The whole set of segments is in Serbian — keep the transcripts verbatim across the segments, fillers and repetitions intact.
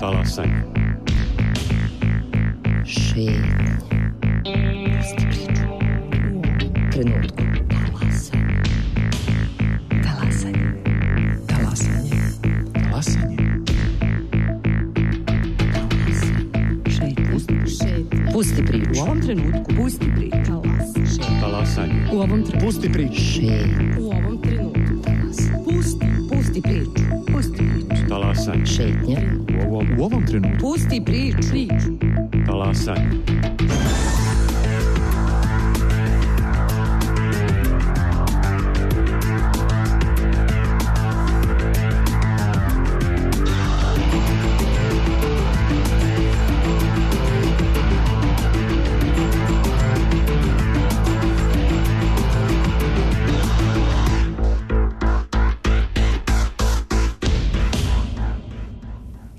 Talasanje. Šetnja. Pusti priču. Trenutku. Talasanje. Talasanje. Talasanje. Talasanje. Šetnja. Pusti priču. U ovom trenutku. Pusti priču. Talasanje. U ovom trenutku. Pusti priču. Šetnja. U ovom trenutku. Pusti. Pusti priču. Pusti priču. Talasanje. Šetnja. U ovom, u ovom trenutku. Pusti priču. Priču. Talasanje.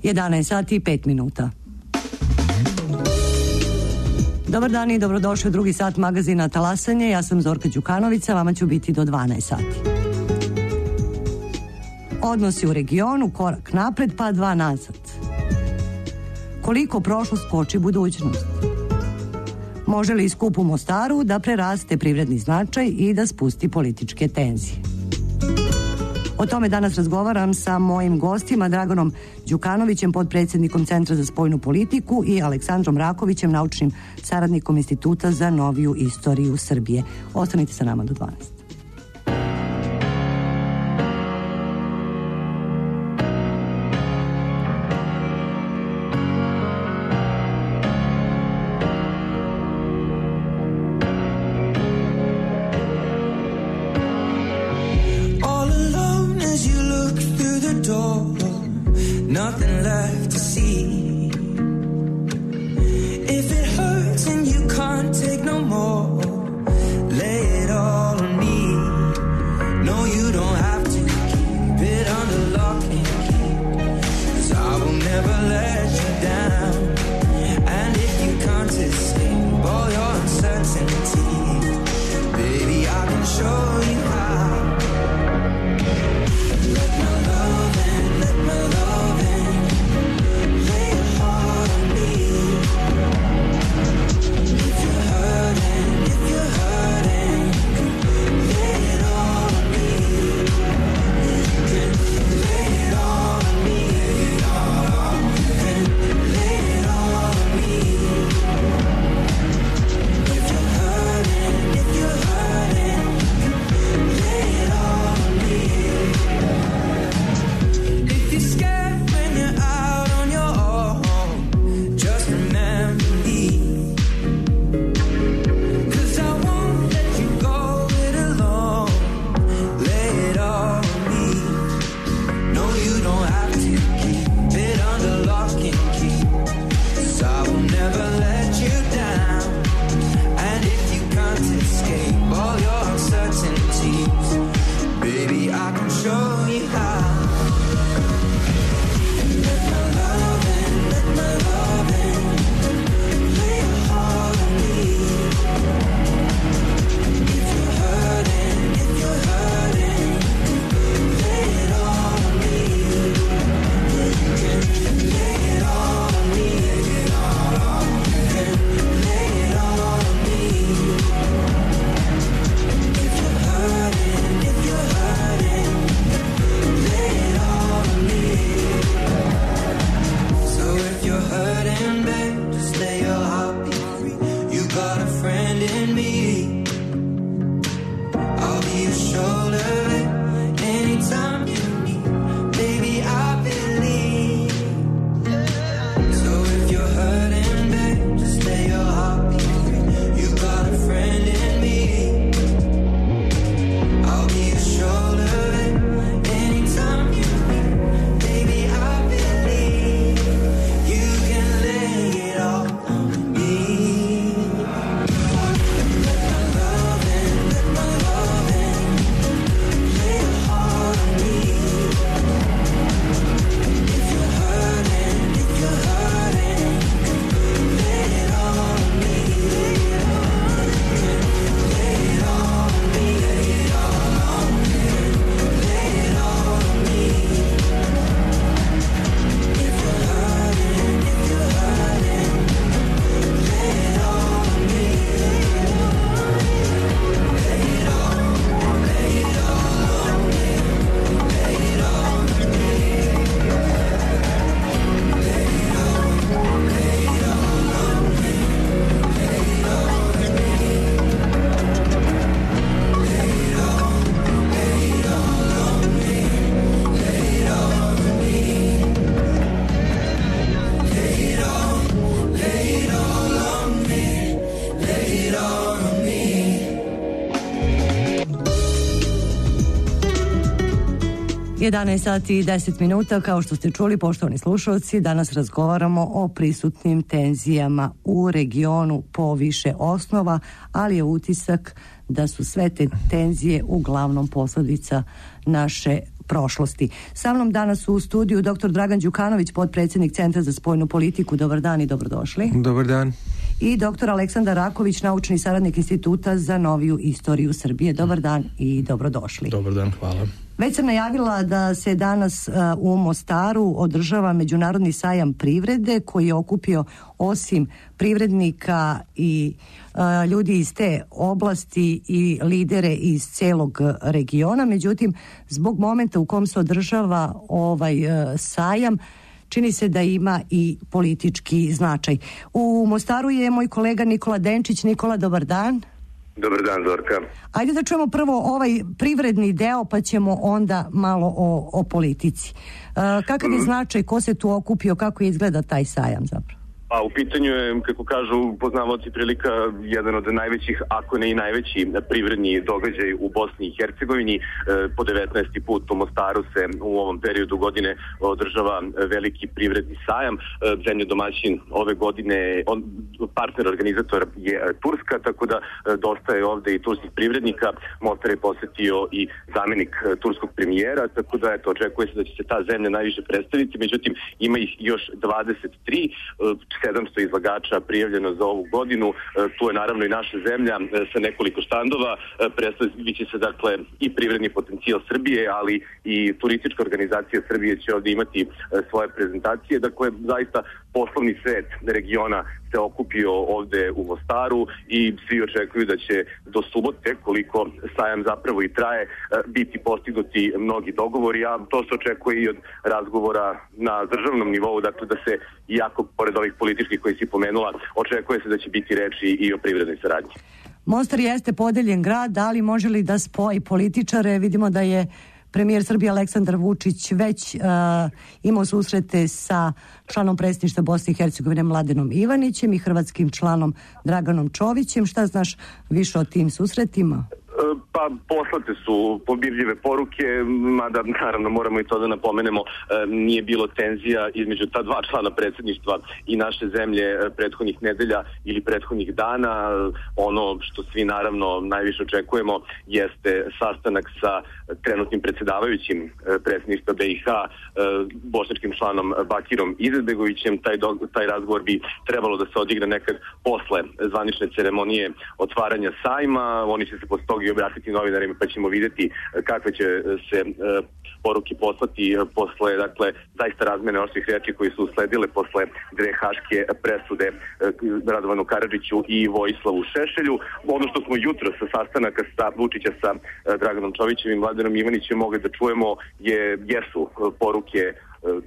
jedanaest sati i pet minuta. Dobar dan i dobrodošli u drugi sat magazina Talasanje. Ja sam Zorka Đukanovića, vama ću biti do dvanaest sati. Odnosi u regionu, korak napred pa dva nazad. Koliko prošlost koči budućnost? Može li skup u Mostaru da preraste privredni značaj i da spusti političke tenzije? O tome danas razgovaram sa mojim gostima, Draganom Đukanovićem, potpredsjednikom Centra za spoljnu politiku, i Aleksandrom Rakovićem, naučnim saradnikom Instituta za noviju istoriju Srbije. Ostanite sa nama do dvanaest. Nothing left to see. If it hurts and you can't take no more, lay it all on me. No, you don't have to keep it under lock and key, 'cause I will never let you down. And if you can't escape all your uncertainty, baby, I can show you how. Let my love in, let my love in. Lay your heart on me. If you're hurting, if you're hurting, lay it all on me. You can lay it all on me. You can lay it all on me. If you're hurting, if you're hurting, lay it all on me. If you're scared when you're out on your own, just remember me. 'Cause I won't let you go it alone. Lay it all on me. No, you don't have to keep it under lock and key, 'cause I will never let you down. And if you can't escape all your uncertainties, baby, I can show you how. Let my love in, let my love in. Lay your heart on me. If you're hurting, if you're hurting, lay it all on me. You can lay it all on me. You can lay it all on me. If you're hurting, if you're hurting, lay it all on me. So if you're hurting, babe, just lay your heart be free. You got a friend in me. I'll be your shoulder anytime you need. Baby, I believe. So if you're hurting, babe, just lay your heart be free. You got a friend in me. I'll be your shoulder anytime you need. Baby, I believe you can lay it all on me. Let my love in, let my love in. jedanaest sati i deset minuta, kao što ste čuli, poštovani slušalci, danas razgovaramo o prisutnim tenzijama u regionu po više osnova, ali je utisak da su sve te tenzije uglavnom posledica naše prošlosti. Sa mnom danas u studiju doktor Dragan Đukanović, potpredsjednik Centra za spoljnu politiku. Dobar dan i dobrodošli. Dobar dan. I doktor Aleksandar Raković, naučni saradnik Instituta za noviju istoriju Srbije. Dobar dan i dobrodošli. Dobar dan, hvala. Već sam najavila da se danas uh, u Mostaru održava Međunarodni sajam privrede koji je okupio osim privrednika i uh, ljudi iz te oblasti i lidere iz celog regiona. Međutim, zbog momenta u kom se održava ovaj uh, sajam, čini se da ima i politički značaj. U Mostaru je moj kolega Nikola Denčić. Nikola, dobar dan. Dobar dan, Zorka. Ajde da čujemo prvo ovaj privredni deo, pa ćemo onda malo o, o politici. Uh, kakav je značaj, ko se tu okupio, kako izgleda taj sajam zapravo? A u pitanju je, kako kažu poznavaoci prilika, jedan od najvećih, ako ne i najveći privredni događaj u Bosni i Hercegovini. E, po devetnaesti put u Mostaru se u ovom periodu godine održava veliki privredni sajam. E, zemlja domaćin ove godine, on, partner organizator je Turska, tako da e, dosta je ovde i turskih privrednika. Mostar je posetio i zamjenik e, turskog premijera, tako da eto, očekuje se da će se ta zemlja najviše predstaviti. Međutim, ima ih još dvadeset tri, e, sedamsto izlagača prijavljeno za ovu godinu. Tu je naravno i naša zemlja sa nekoliko štandova. Predstavit će se dakle i privredni potencijal Srbije, ali i turistička organizacija Srbije će ovdje imati svoje prezentacije. Dakle, zaista poslovni svet regiona se okupio ovde u Mostaru i svi očekuju da će do subote, koliko sajam zapravo i traje, biti postignuti mnogi dogovori, a to se očekuje i od razgovora na državnom nivou, dakle da se, iako pored ovih političkih koji si pomenula, očekuje se da će biti reči i o privrednoj saradnji. Mostar jeste podeljen grad, ali može li da spoji političare? Vidimo da je premijer Srbije Aleksandar Vučić već uh, imao susrete sa članom predsjedništva Bosne i Hercegovine Mladenom Ivanićem i hrvatskim članom Draganom Čovićem. Šta znaš više o tim susretima? Pa poslate su pobirljive poruke, mada naravno moramo i to da napomenemo, nije bilo tenzija između ta dva člana predsjedništva i naše zemlje prethodnih nedelja ili prethodnih dana. Ono što svi naravno najviše očekujemo jeste sastanak sa trenutnim predsjedavajućim predsjedništva B i H, bošnjačkim članom Bakirom Izetbegovićem. Taj, do, taj razgovor bi trebalo da se odigra nekad posle zvanične ceremonije otvaranja sajma. Oni će se posle toga i obratiti novinarima, pa ćemo vidjeti kakve će se e, poruke poslati posle, dakle, zaista razmene oštrih reči koji su usledile posle dve haške presude e, Radovanu Karadžiću i Vojislavu Šešelju. Ono što smo jutro sa sastanaka sa Vučića sa e, Draganom Čovićem i Mladenom Ivanićem mogli da čujemo je, jesu poruke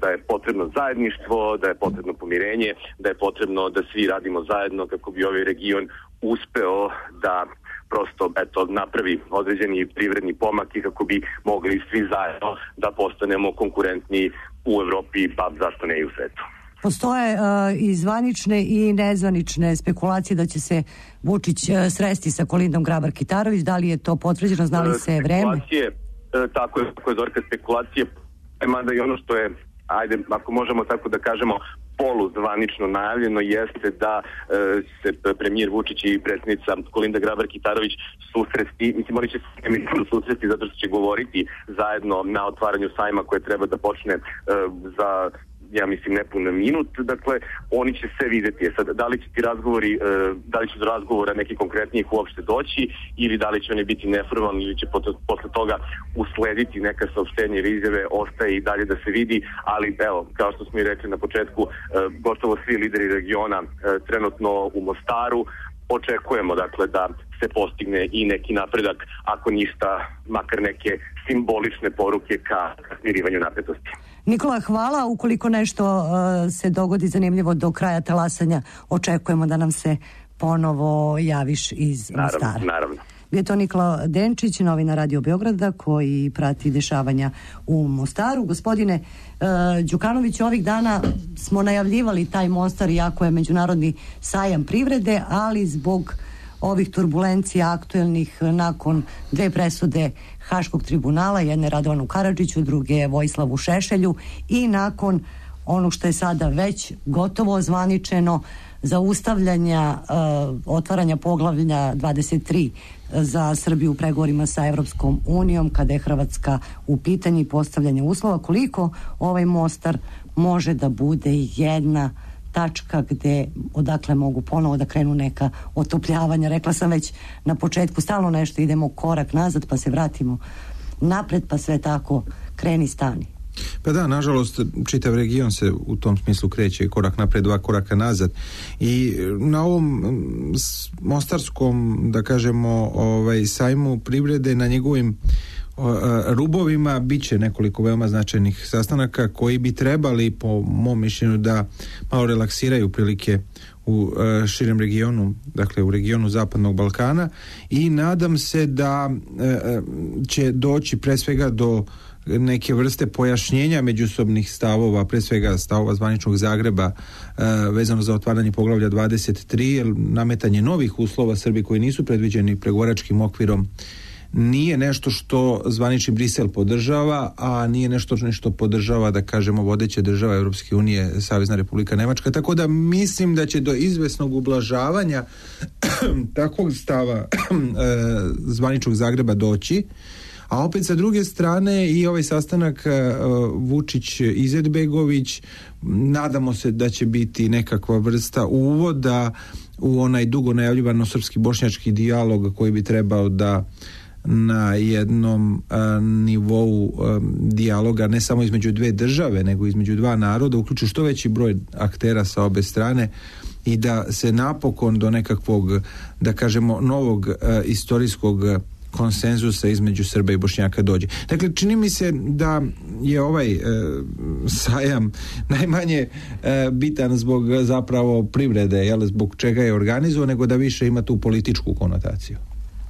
da je potrebno zajedništvo, da je potrebno pomirenje, da je potrebno da svi radimo zajedno kako bi ovaj region uspeo da prosto eto, napravi određeni privredni pomak i kako bi mogli svi zajedno da postanemo konkurentni u Evropi, pa zašto ne i u svetu. Postoje uh, i zvanične i nezvanične spekulacije da će se Vučić uh, sresti sa Kolindom Grabar-Kitarović. Da li je to potvrđeno, zna li se vreme? Spekulacije, tako je, tako je Zorka, spekulacije, mada i ono što je, ajde, ako možemo tako da kažemo, poluzvanično najavljeno jeste da e, se premijer Vučić i predsjednica Kolinda Grabar-Kitarović susresti, mislim oni će se susresti zato što će govoriti zajedno na otvaranju sajma koje treba da počne e, za ja mislim nepun minut, dakle oni će se vidjeti. Sad, da li će ti razgovori, da li će do razgovora neki konkretnijih uopšte doći ili da li će oni biti neformalni ili će posle toga uslediti neka saopštenja ili izjave, ostaje i dalje da se vidi, ali evo, kao što smo i rekli na početku, gotovo svi lideri regiona trenutno u Mostaru. Očekujemo dakle da se postigne i neki napredak, ako ništa, makar neke simbolične poruke ka smirivanju napetosti. Nikola, hvala. Ukoliko nešto uh, se dogodi zanimljivo do kraja talasanja, očekujemo da nam se ponovo javiš iz Mostara. Naravno, naravno. Je to Nikola Denčić, novinar Radio Beograda, koji prati dešavanja u Mostaru. Gospodine uh, Đukanović, ovih dana smo najavljivali taj Mostar, iako je međunarodni sajam privrede, ali zbog ovih turbulencija aktuelnih nakon dve presude Haškog tribunala, jedne Radovanu Karadžiću, druge Vojislavu Šešelju, i nakon ono što je sada već gotovo ozvaničeno, zaustavljanja uh, otvaranja poglavlja dvadeset tri za Srbiju u pregovorima sa Evropskom unijom, kada je Hrvatska u pitanju i postavljanje uslova, koliko ovaj Mostar može da bude jedna tačka gde odakle mogu ponovo da krenu neka otopljavanja. Rekla sam već na početku, stalno nešto idemo korak nazad pa se vratimo napred, pa sve tako kreni stani. Pa da, nažalost, čitav region se u tom smislu kreće korak napred, dva koraka nazad. I na ovom mostarskom, da kažemo, ovaj, sajmu privrede, na njegovim rubovima bit će nekoliko veoma značajnih sastanaka koji bi trebali, po mom mišljenju, da malo relaksiraju prilike u širem regionu, dakle u regionu Zapadnog Balkana, i nadam se da će doći pre svega do neke vrste pojašnjenja međusobnih stavova, pre svega stavova zvaničnog Zagreba e, vezano za otvaranje poglavlja dvadeset tri, nametanje novih uslova Srbiji koji nisu predviđeni pregovaračkim okvirom nije nešto što zvanični Brisel podržava, a nije nešto što podržava, da kažemo, vodeće država Evropske unije, Savezna Republika Nemačka, tako da mislim da će do izvesnog ublažavanja takvog stava e, zvaničnog Zagreba doći. A opet sa druge strane i ovaj sastanak uh, Vučić-Izetbegović, nadamo se da će biti nekakva vrsta uvoda u onaj dugo najavljivano srpski-bošnjački dijalog koji bi trebao da na jednom uh, nivou uh, dijaloga ne samo između dve države, nego između dva naroda uključi što veći broj aktera sa obe strane i da se napokon do nekakvog, da kažemo, novog uh, istorijskog konsenzusa između Srba i Bošnjaka dođe. Dakle, čini mi se da je ovaj e, sajam najmanje e, bitan zbog zapravo privrede, jel, zbog čega je organizovan, nego da više ima tu političku konotaciju.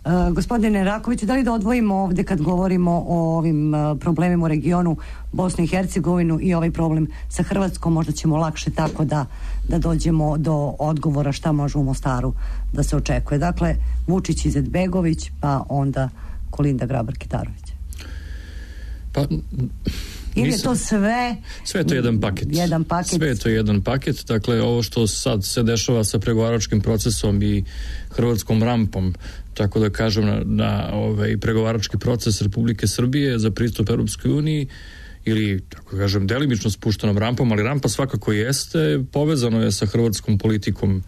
Uh, gospodine Rakoviću, da li da odvojimo ovdje kad govorimo o ovim uh, problemima u regionu Bosnu i Hercegovinu i ovaj problem sa Hrvatskom, možda ćemo lakše tako da, da dođemo do odgovora šta može u Mostaru da se očekuje. Dakle, Vučić, Izetbegović, pa onda Kolinda Grabar-Kitarović. Pa... Ili je to sve... Sve je to jedan paket. Jedan paket. Sve je to jedan paket. Dakle, ovo što sad se dešava sa pregovaračkim procesom i hrvatskom rampom, tako da kažem, na, na ovaj pregovarački proces Republike Srbije za pristup Europskoj uniji, ili, tako kažem, delimično spuštenom rampom, ali rampa svakako jeste, povezano je sa hrvatskom politikom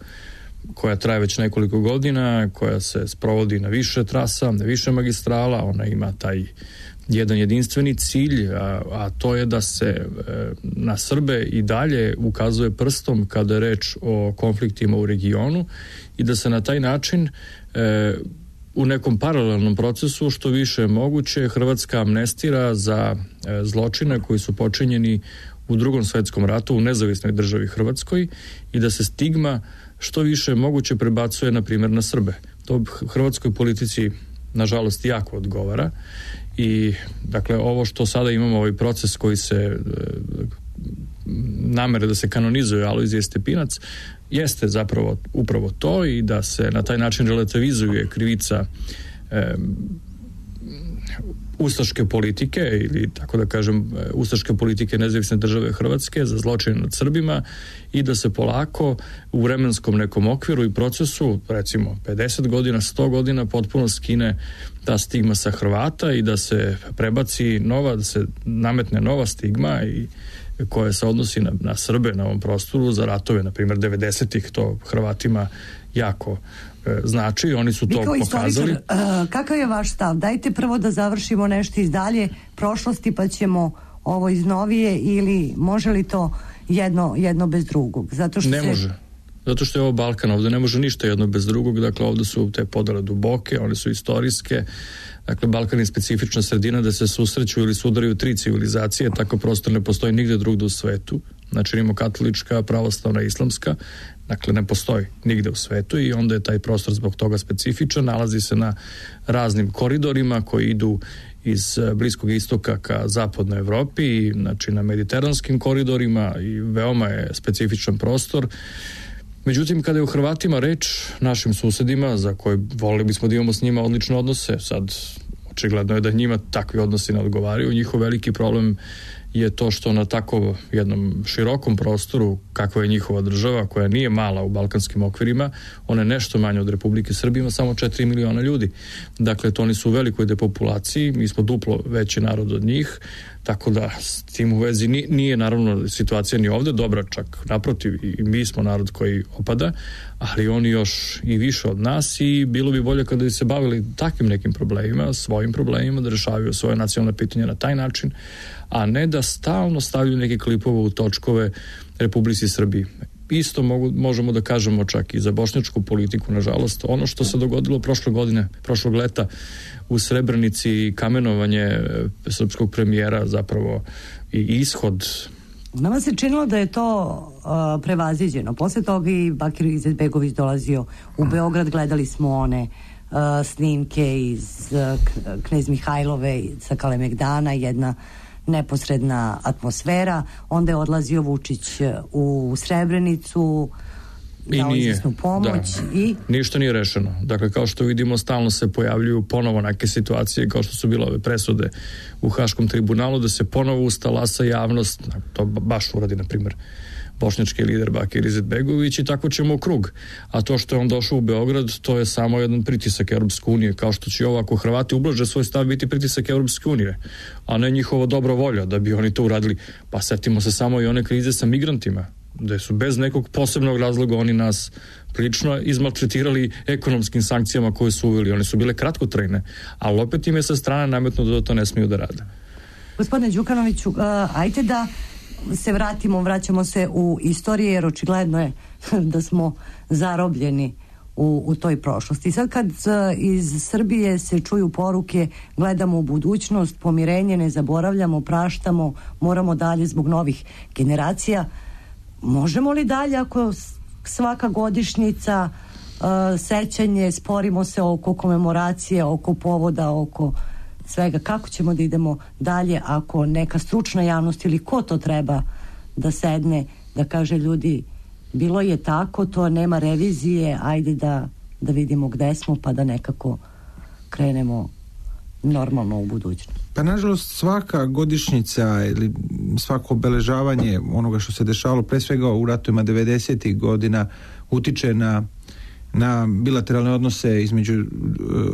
koja traje već nekoliko godina, koja se sprovodi na više trasa, na više magistrala, ona ima taj jedan jedinstveni cilj, a, a to je da se e, na Srbe i dalje ukazuje prstom kada je reč o konfliktima u regionu i da se na taj način e, u nekom paralelnom procesu što više je moguće Hrvatska amnestira za e, zločine koji su počinjeni u Drugom svetskom ratu u nezavisnoj državi Hrvatskoj i da se stigma što više je moguće prebacuje na primjer na Srbe. To hrvatskoj politici nažalost jako odgovara. I dakle ovo što sada imamo, ovaj proces koji se e, namere da se kanonizuje Alojzije Stepinac, jeste zapravo upravo to i da se na taj način relativizuje krivica e, ustaške politike ili tako da kažem ustaške politike nezavisne države Hrvatske za zločine nad Srbima i da se polako u vremenskom nekom okviru i procesu, recimo pedeset godina, sto godina, potpuno skine ta stigma sa Hrvata i da se prebaci nova, da se nametne nova stigma i koja se odnosi na, na Srbe na ovom prostoru za ratove, na primjer devedesetih, to Hrvatima jako e, znači, oni su to pokazali. Uh, kakav je vaš stav? Dajte prvo da završimo nešto iz dalje prošlosti pa ćemo ovo iz novije, ili može li to jedno, jedno bez drugog? Zato što ne se... može. Zato što je ovo Balkan, ovdje ne može ništa jedno bez drugog, dakle ovdje su te podele duboke, one su istorijske, dakle Balkan je specifična sredina da se susreću ili sudaraju tri civilizacije, tako prostor ne postoji nigde drugdje u svetu, znači imamo katolička, pravoslavna, islamska, dakle ne postoji nigde u svetu i onda je taj prostor zbog toga specifičan, nalazi se na raznim koridorima koji idu iz Bliskog istoka ka zapadnoj Evropi, znači na mediteranskim koridorima i veoma je specifičan prostor. Međutim, kada je u Hrvatima reč, našim susedima, za koje volili bismo da imamo s njima odlične odnose, sad Očigledno je da njima takvi odnosi ne odgovaraju. Njihov veliki problem je to što na tako jednom širokom prostoru kakva je njihova država, koja nije mala u balkanskim okvirima, ona je nešto manje od Republike Srbije, ima samo četiri miliona ljudi. Dakle, to oni su u velikoj depopulaciji, mi smo duplo veći narod od njih, tako da s tim u vezi nije, nije naravno situacija ni ovde dobra, čak naprotiv, i mi smo narod koji opada, ali oni još i više od nas i bilo bi bolje kada bi se bavili takvim nekim problemima, svojim problemima, da rešavaju svoje nacionalne pitanja na taj način, a ne da stalno stavljaju neke klipove u točkove Republici Srbiji. Isto mogu, možemo da kažemo čak i za bošnjačku politiku, nažalost. Ono što se dogodilo prošle godine, prošlog leta u Srebrenici, kamenovanje srpskog premijera, zapravo i ishod. Nama se činilo da je to uh, prevaziđeno. Posle toga i Bakir Izetbegović dolazio u Beograd, gledali smo one uh, snimke iz uh, Knez Mihajlove sa Kalemegdana, jedna neposredna atmosfera. Onda je odlazio Vučić u Srebrenicu, dao izvesnu pomoć da. i... Ništa nije rešeno. Dakle, kao što vidimo, stalno se pojavljuju ponovo neke situacije, kao što su bile ove presude u Haškom tribunalu, da se ponovo ustalasa javnost, to baš uradi, na primjer, bošnjački lider Bakir Izetbegović, i tako ćemo u krug. A to što je on došao u Beograd, to je samo jedan pritisak Europske unije, kao što će ovo, ako Hrvati ublaže svoj stav, biti pritisak Europske unije, a ne njihova dobra volja da bi oni to uradili. Pa setimo se samo i one krize sa migrantima, da su bez nekog posebnog razloga oni nas prilično izmaltretirali ekonomskim sankcijama koje su uveli. One su bile kratkotrajne, ali opet im je sa strane nametno da to ne smiju da rade. Gospodine Đukanoviću, uh, ajte da se vratimo, vraćamo se u istoriju, jer očigledno je da smo zarobljeni u, u toj prošlosti. Sad kad uh, iz Srbije se čuju poruke, gledamo u budućnost, pomirenje, ne zaboravljamo, praštamo, moramo dalje zbog novih generacija. Možemo li dalje ako svaka godišnjica, uh, sećanje, sporimo se oko komemoracije, oko povoda, oko svega, kako ćemo da idemo dalje ako neka stručna javnost ili ko to treba da sedne, da kaže ljudi, bilo je tako, to nema revizije, ajde da, da vidimo gde smo, pa da nekako krenemo normalno u budućnost. Pa nažalost svaka godišnjica ili svako obeležavanje onoga što se dešavalo pre svega u ratovima devedesetih godina utiče na na bilateralne odnose između uh,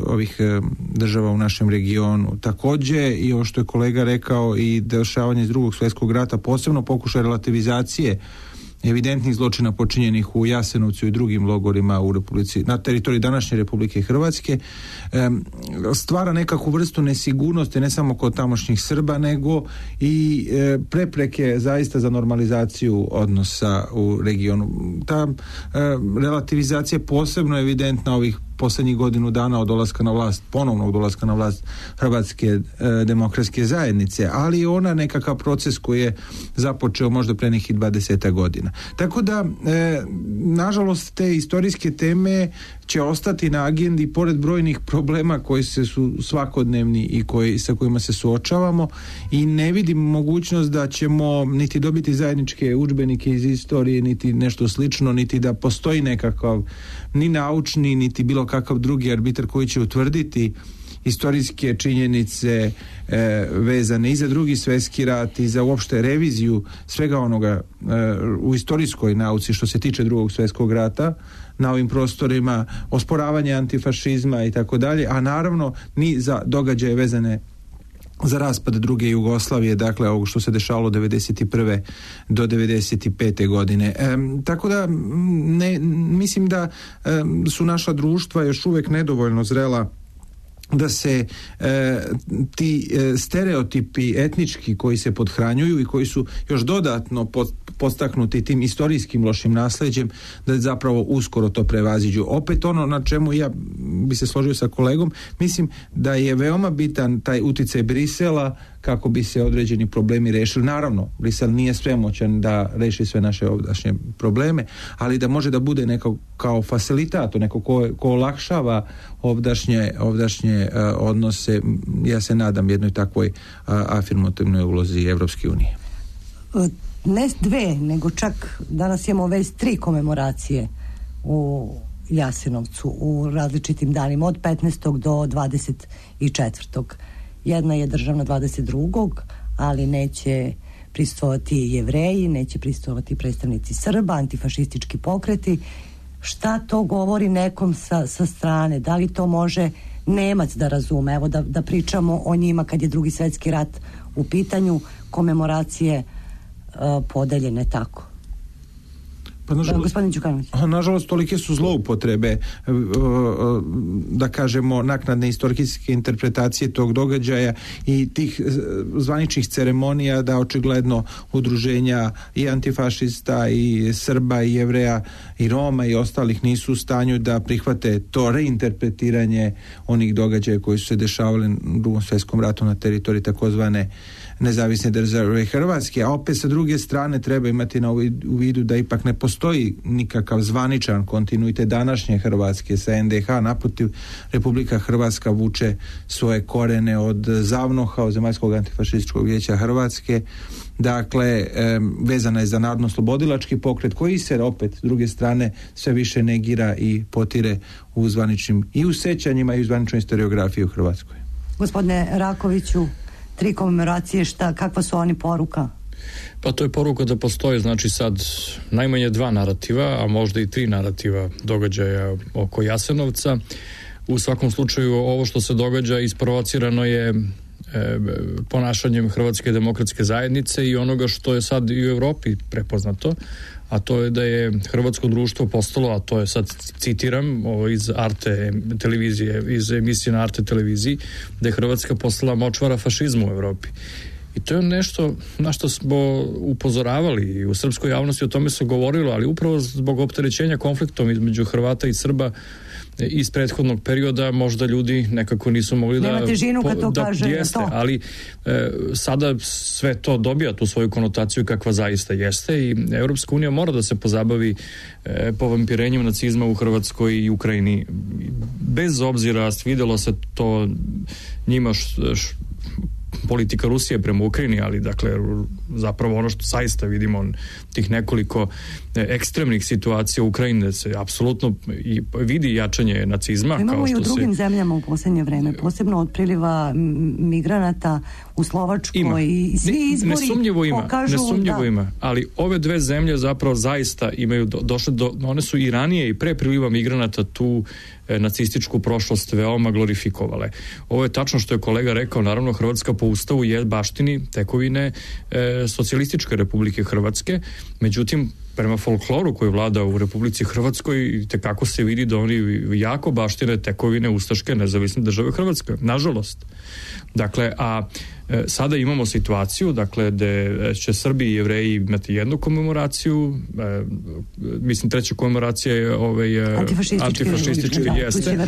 ovih uh, država u našem regionu. Takođe i ovo što je kolega rekao, i dešavanje iz drugog svjetskog rata, posebno pokušaj relativizacije evidentnih zločina počinjenih u Jasenovcu i drugim logorima u Republici, na teritoriji današnje Republike Hrvatske, stvara nekakvu vrstu nesigurnosti ne samo kod tamošnjih Srba, nego i prepreke zaista za normalizaciju odnosa u regionu. Ta relativizacija je posebno evidentna ovih poslednjih godinu dana od dolaska na vlast, ponovnog dolaska na vlast Hrvatske e, demokratske zajednice, ali ona nekakav proces koji je započeo možda pre nekih dvadeset godina. Tako da, e, nažalost, te istorijske teme će ostati na agendi pored brojnih problema koji se su svakodnevni i koji, sa kojima se suočavamo, i ne vidim mogućnost da ćemo niti dobiti zajedničke udžbenike iz istorije, niti nešto slično, niti da postoji nekakav ni naučni, niti bilo kakav drugi arbitar koji će utvrditi istorijske činjenice e, vezane i za drugi svjetski rat i za uopšte reviziju svega onoga e, u istorijskoj nauci što se tiče drugog svjetskog rata na ovim prostorima, osporavanje antifašizma i tako dalje, a naravno ni za događaje vezane za raspad druge Jugoslavije, dakle ovo što se dešavalo devedeset prve do devedeset pete godine. E, tako da ne, mislim da e, su naša društva još uvek nedovoljno zrela da se e, ti e, stereotipi etnički koji se podhranjuju i koji su još dodatno pod, podstaknuti tim istorijskim lošim nasleđem, da zapravo uskoro to prevaziđu. Opet ono na čemu ja bi se složio sa kolegom, mislim da je veoma bitan taj uticaj Brisela kako bi se određeni problemi rešili. Naravno, Brisel nije svemoćan da reši sve naše ovdašnje probleme, ali da može da bude neko kao facilitator, neko ko, ko olakšava ovdašnje, ovdašnje uh, odnose. Ja se nadam jednoj takvoj uh, afirmativnoj ulozi Evropske unije. Ne dve, nego čak danas imamo već tri komemoracije u Jasenovcu u različitim danima od petnaestog do dvadeset četvrtog Jedna je državna dvadeset drugog ali neće prisustvovati Jevreji, neće prisustvovati predstavnici Srba, antifašistički pokreti. Šta to govori nekom sa, sa strane? Da li to može Nemac da razume? Evo da, da pričamo o njima kad je Drugi svjetski rat u pitanju, komemoracije uh, podeljene tako. Pa nažalost, gospodin Đukanović. Nažalost, tolike su zloupotrebe, da kažemo, naknadne istorijske interpretacije tog događaja i tih zvaničnih ceremonija, da očigledno udruženja i antifašista i Srba i Jevreja i Roma i ostalih nisu u stanju da prihvate to reinterpretiranje onih događaja koji su se dešavali u Drugom svjetskom ratu na teritoriji takozvane nezavisne države Hrvatske, a opet sa druge strane treba imati na u vidu da ipak ne postoji nikakav zvaničan kontinuitet današnje Hrvatske sa en de ha, naprotiv, Republika Hrvatska vuče svoje korene od ZAVNOH-a, od Zemaljskog antifašističkog vijeća Hrvatske, dakle vezana je za narodno-slobodilački pokret koji se opet s druge strane sve više negira i potire u zvaničnim i u sećanjima i u zvaničnoj historiografiji u Hrvatskoj. Gospodine Rakoviću, tri komemoracije, šta, kakva su oni poruka? Pa to je poruka da postoje, znači sad najmanje dva narativa, a možda i tri narativa događaja oko Jasenovca. U svakom slučaju ovo što se događa isprovocirano je e, ponašanjem Hrvatske demokratske zajednice i onoga što je sad i u Europi prepoznato, a to je da je hrvatsko društvo postalo, a to je sad citiram ovo iz Arte televizije, iz emisije na Arte televiziji, da je Hrvatska postala močvara fašizmu u Europi. I to je nešto na što smo upozoravali i u srpskoj javnosti o tome se govorilo, ali upravo zbog opterećenja konfliktom između Hrvata i Srba iz prethodnog perioda možda ljudi nekako nisu mogli Nema da... težinu kad to da kaže jeste, to. ali e, sada sve to dobija tu svoju konotaciju kakva zaista jeste i Europska unija mora da se pozabavi e, povampirenjem nacizma u Hrvatskoj i Ukrajini. Bez obzira, vidjelo se to njima š, š, politika Rusije prema Ukrajini, ali dakle zapravo ono što zaista vidimo tih nekoliko ekstremnih situacija u Ukrajini se apsolutno i vidi jačanje nacizma. Imamo kao što i u drugim se... zemljama u posljednje vreme, posebno od priliva migranata u Slovačkoj ima. I svi izbori nesumnjivo ima, pokažu nesumnjivo da... ima, ali ove dve zemlje zapravo zaista imaju do, došle do, one su i ranije i pre priliva migranata tu e, nacističku prošlost veoma glorifikovale. Ovo je tačno što je kolega rekao, naravno Hrvatska po ustavu je baštini tekovine e, socijalističke Republike Hrvatske, međutim prema folkloru koji vlada u Republici Hrvatskoj tekako se vidi da oni jako baštine tekovine ustaške nezavisne države Hrvatske, nažalost. Dakle, a e, sada imamo situaciju, dakle, gde će Srbi i Jevreji imati jednu komemoraciju, e, mislim treća komemoracija je ovaj, antifašistički, antifašistički da, jeste.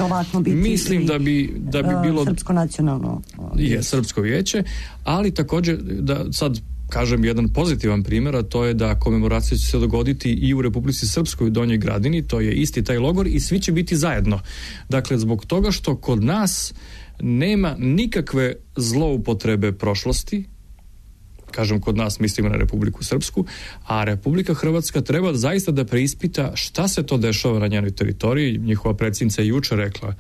Mislim da bi, da bi bilo... Srpsko nacionalno vijeće. Je, Srpsko vijeće, ali također da sad kažem jedan pozitivan primjer, a to je da komemoracija će se dogoditi i u Republici Srpskoj u Donjoj Gradini, to je isti taj logor i svi će biti zajedno. Dakle, zbog toga što kod nas nema nikakve zloupotrebe prošlosti, kažem kod nas mislimo na Republiku Srpsku, a Republika Hrvatska treba zaista da preispita šta se to dešava na njenoj teritoriji. Njihova predsjednica je jučer rekla,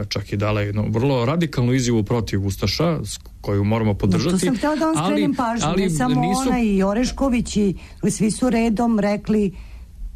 čak i dala jednu vrlo radikalnu izjavu protiv Ustaša, koju moramo podržati. No, to sam htjela da vam skrenim pažnju, ali, ne samo nisu... ona i Orešković i svi su redom rekli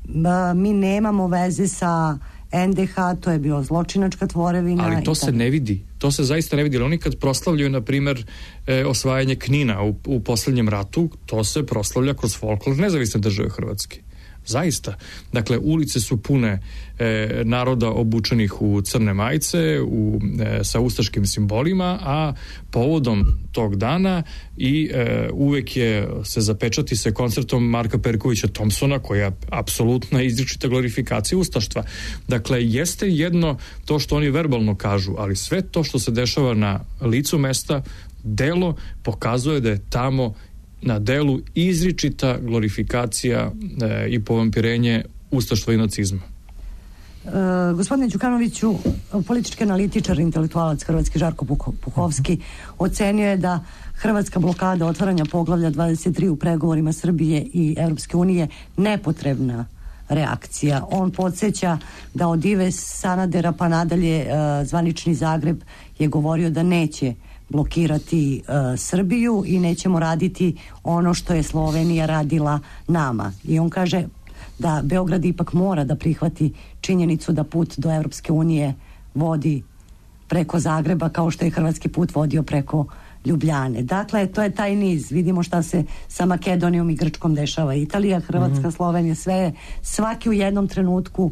ba, mi nemamo veze sa en de ha, to je bio zločinačka tvorevina. Ali to se ne vidi, to se zaista ne vidi. Oni kad proslavljaju, na primjer, e, osvajanje Knina u, u posljednjem ratu, to se proslavlja kroz folklor nezavisne države Hrvatske. Zaista. Dakle, ulice su pune e, naroda obučenih u crne majice, u, e, sa ustaškim simbolima, a povodom tog dana i e, uvek je se zapečati se koncertom Marka Perkovića Thompsona, koja je apsolutna izričita glorifikacija ustaštva. Dakle, jeste jedno to što oni verbalno kažu, ali sve to što se dešava na licu mesta, delo pokazuje da je tamo na delu izričita glorifikacija e, i povampirenje ustaštva i nacizma. E, gospodine Đukanoviću, politički analitičar, intelektualac Hrvatski Žarko Puhovski ocenio je da hrvatska blokada otvaranja poglavlja dvadeset tri u pregovorima Srbije i Europske unije nepotrebna reakcija. On podsjeća da od Ive Sanadera pa nadalje uh, zvanični Zagreb je govorio da neće blokirati uh, Srbiju i nećemo raditi ono što je Slovenija radila nama. I on kaže da Beograd ipak mora da prihvati činjenicu da put do Evropske unije vodi preko Zagreba kao što je hrvatski put vodio preko Ljubljane. Dakle, to je taj niz. Vidimo šta se sa Makedonijom i Grčkom dešava. Italija, Hrvatska, mm-hmm. Slovenija, sve, svaki u jednom trenutku,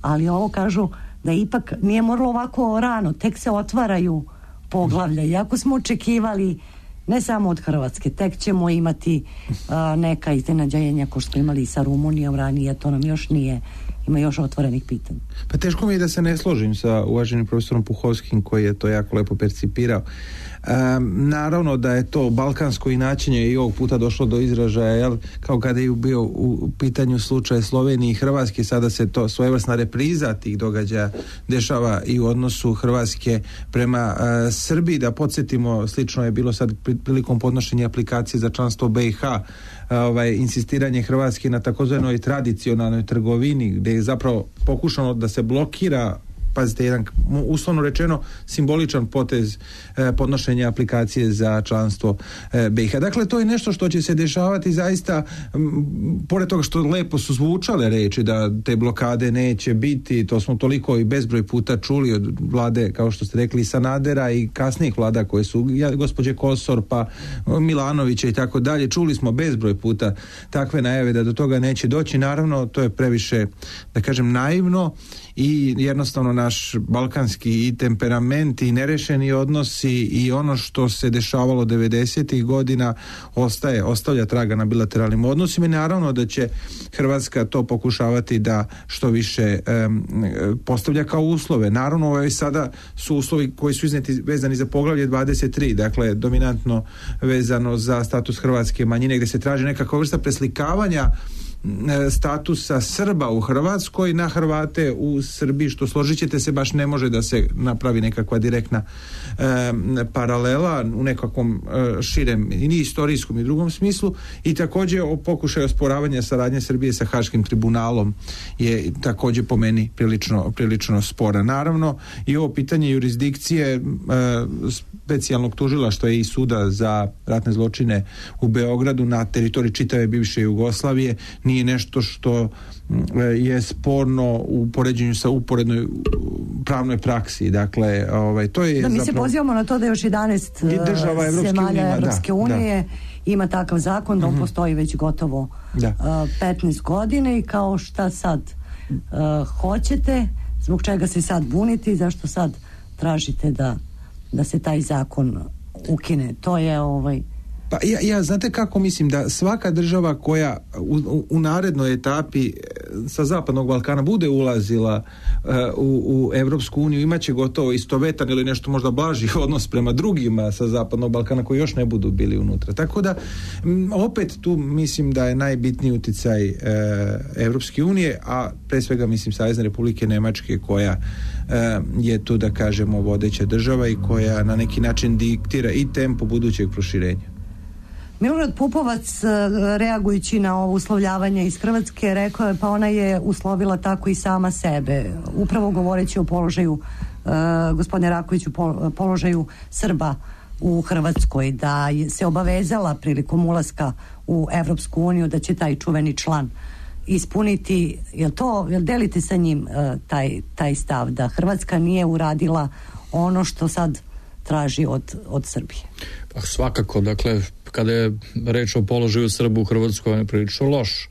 ali ovo kažu da ipak nije moralo ovako rano, tek se otvaraju poglavlja. Iako smo očekivali ne samo od Hrvatske, tek ćemo imati a, neka iznenađenja ko što smo imali sa Rumunijom ranije, to nam još nije, ima još otvorenih pitanja. Pa teško mi je da se ne složim sa uvaženim profesorom Puhovskim koji je to jako lepo percipirao. Um, naravno da je to balkansko inačenje i ovog puta došlo do izražaja, jel, kao kada je bio u pitanju slučaj Slovenije i Hrvatske, sada se to svojevrsna repriza tih događaja dešava i u odnosu Hrvatske prema uh, Srbiji. Da podsjetimo, slično je bilo sad prilikom podnošenja aplikacije za članstvo B i H, ovaj, insistiranje Hrvatske na takozvanoj tradicionalnoj trgovini, gdje je zapravo pokušano da se blokira, pazite, jedan uslovno rečeno simboličan potez eh, podnošenja aplikacije za članstvo eh, B i H. Dakle, to je nešto što će se dešavati zaista, m, pored toga što lepo su zvučale reči da te blokade neće biti, to smo toliko i bezbroj puta čuli od vlade, kao što ste rekli, Sanadera i kasnijih vlada koje su, ja, gospođe Kosor, pa Milanovića i tako dalje, čuli smo bezbroj puta takve najave da do toga neće doći. Naravno, to je previše, da kažem, naivno i jednostavno naš balkanski i temperament i nerešeni odnosi i ono što se dešavalo devedesetih godina ostaje, ostavlja traga na bilateralnim odnosima i naravno da će Hrvatska to pokušavati da što više um, postavlja kao uslove. Naravno, ovo je sada su uslovi koji su izneti vezani za poglavlje dvadeset tri, dakle dominantno vezano za status hrvatske manjine, gdje se traži nekakva vrsta preslikavanja statusa Srba u Hrvatskoj na Hrvate u Srbiji, što složit ćete se baš ne može da se napravi nekakva direktna e, paralela u nekakvom e, širem i istorijskom i drugom smislu. I također o pokušaju osporavanja saradnje Srbije sa Haškim tribunalom je također po meni prilično, prilično spora. Naravno, i ovo pitanje jurisdikcije e, specijalnog tužilaštva i suda za ratne zločine u Beogradu na teritoriji čitave bivše Jugoslavije nije nešto što je sporno u poređenju sa uporednoj pravnoj praksi. Dakle, ovaj, to je da, mi zapravo... se pozivamo na to da još jedanaest država Evropske zemalja unije, Evropske da, unije da. ima takav zakon, da on mm-hmm. postoji već gotovo da. uh, petnaest godine i kao šta sad uh, hoćete, zbog čega se sad buniti, zašto sad tražite da, da se taj zakon ukine. To je ovaj Pa ja, ja znate kako mislim da svaka država koja u, u, u narednoj etapi sa Zapadnog Balkana bude ulazila uh, u, u Evropsku uniju, imaće gotovo istovetan ili nešto možda blaži odnos prema drugima sa Zapadnog Balkana koji još ne budu bili unutra. Tako da m, opet tu mislim da je najbitniji uticaj uh, Evropske unije, a pre svega mislim Savezne Republike Nemačke koja uh, je tu, da kažemo, vodeća država i koja na neki način diktira i tempo budućeg proširenja. Milorad Pupovac, reagujući na ovo uslovljavanje iz Hrvatske, rekao je pa ona je uslovila tako i sama sebe, upravo govoreći o položaju uh, gospodine Rakoviću, po, položaju Srba u Hrvatskoj, da se obavezala prilikom ulaska u Evropsku uniju da će taj čuveni član ispuniti. Jel to, jel delite sa njim uh, taj, taj stav da Hrvatska nije uradila ono što sad traži od, od Srbije? Pa svakako, dakle, kada je reč o položaju Srba u Hrvatskoj, on je prilično loš.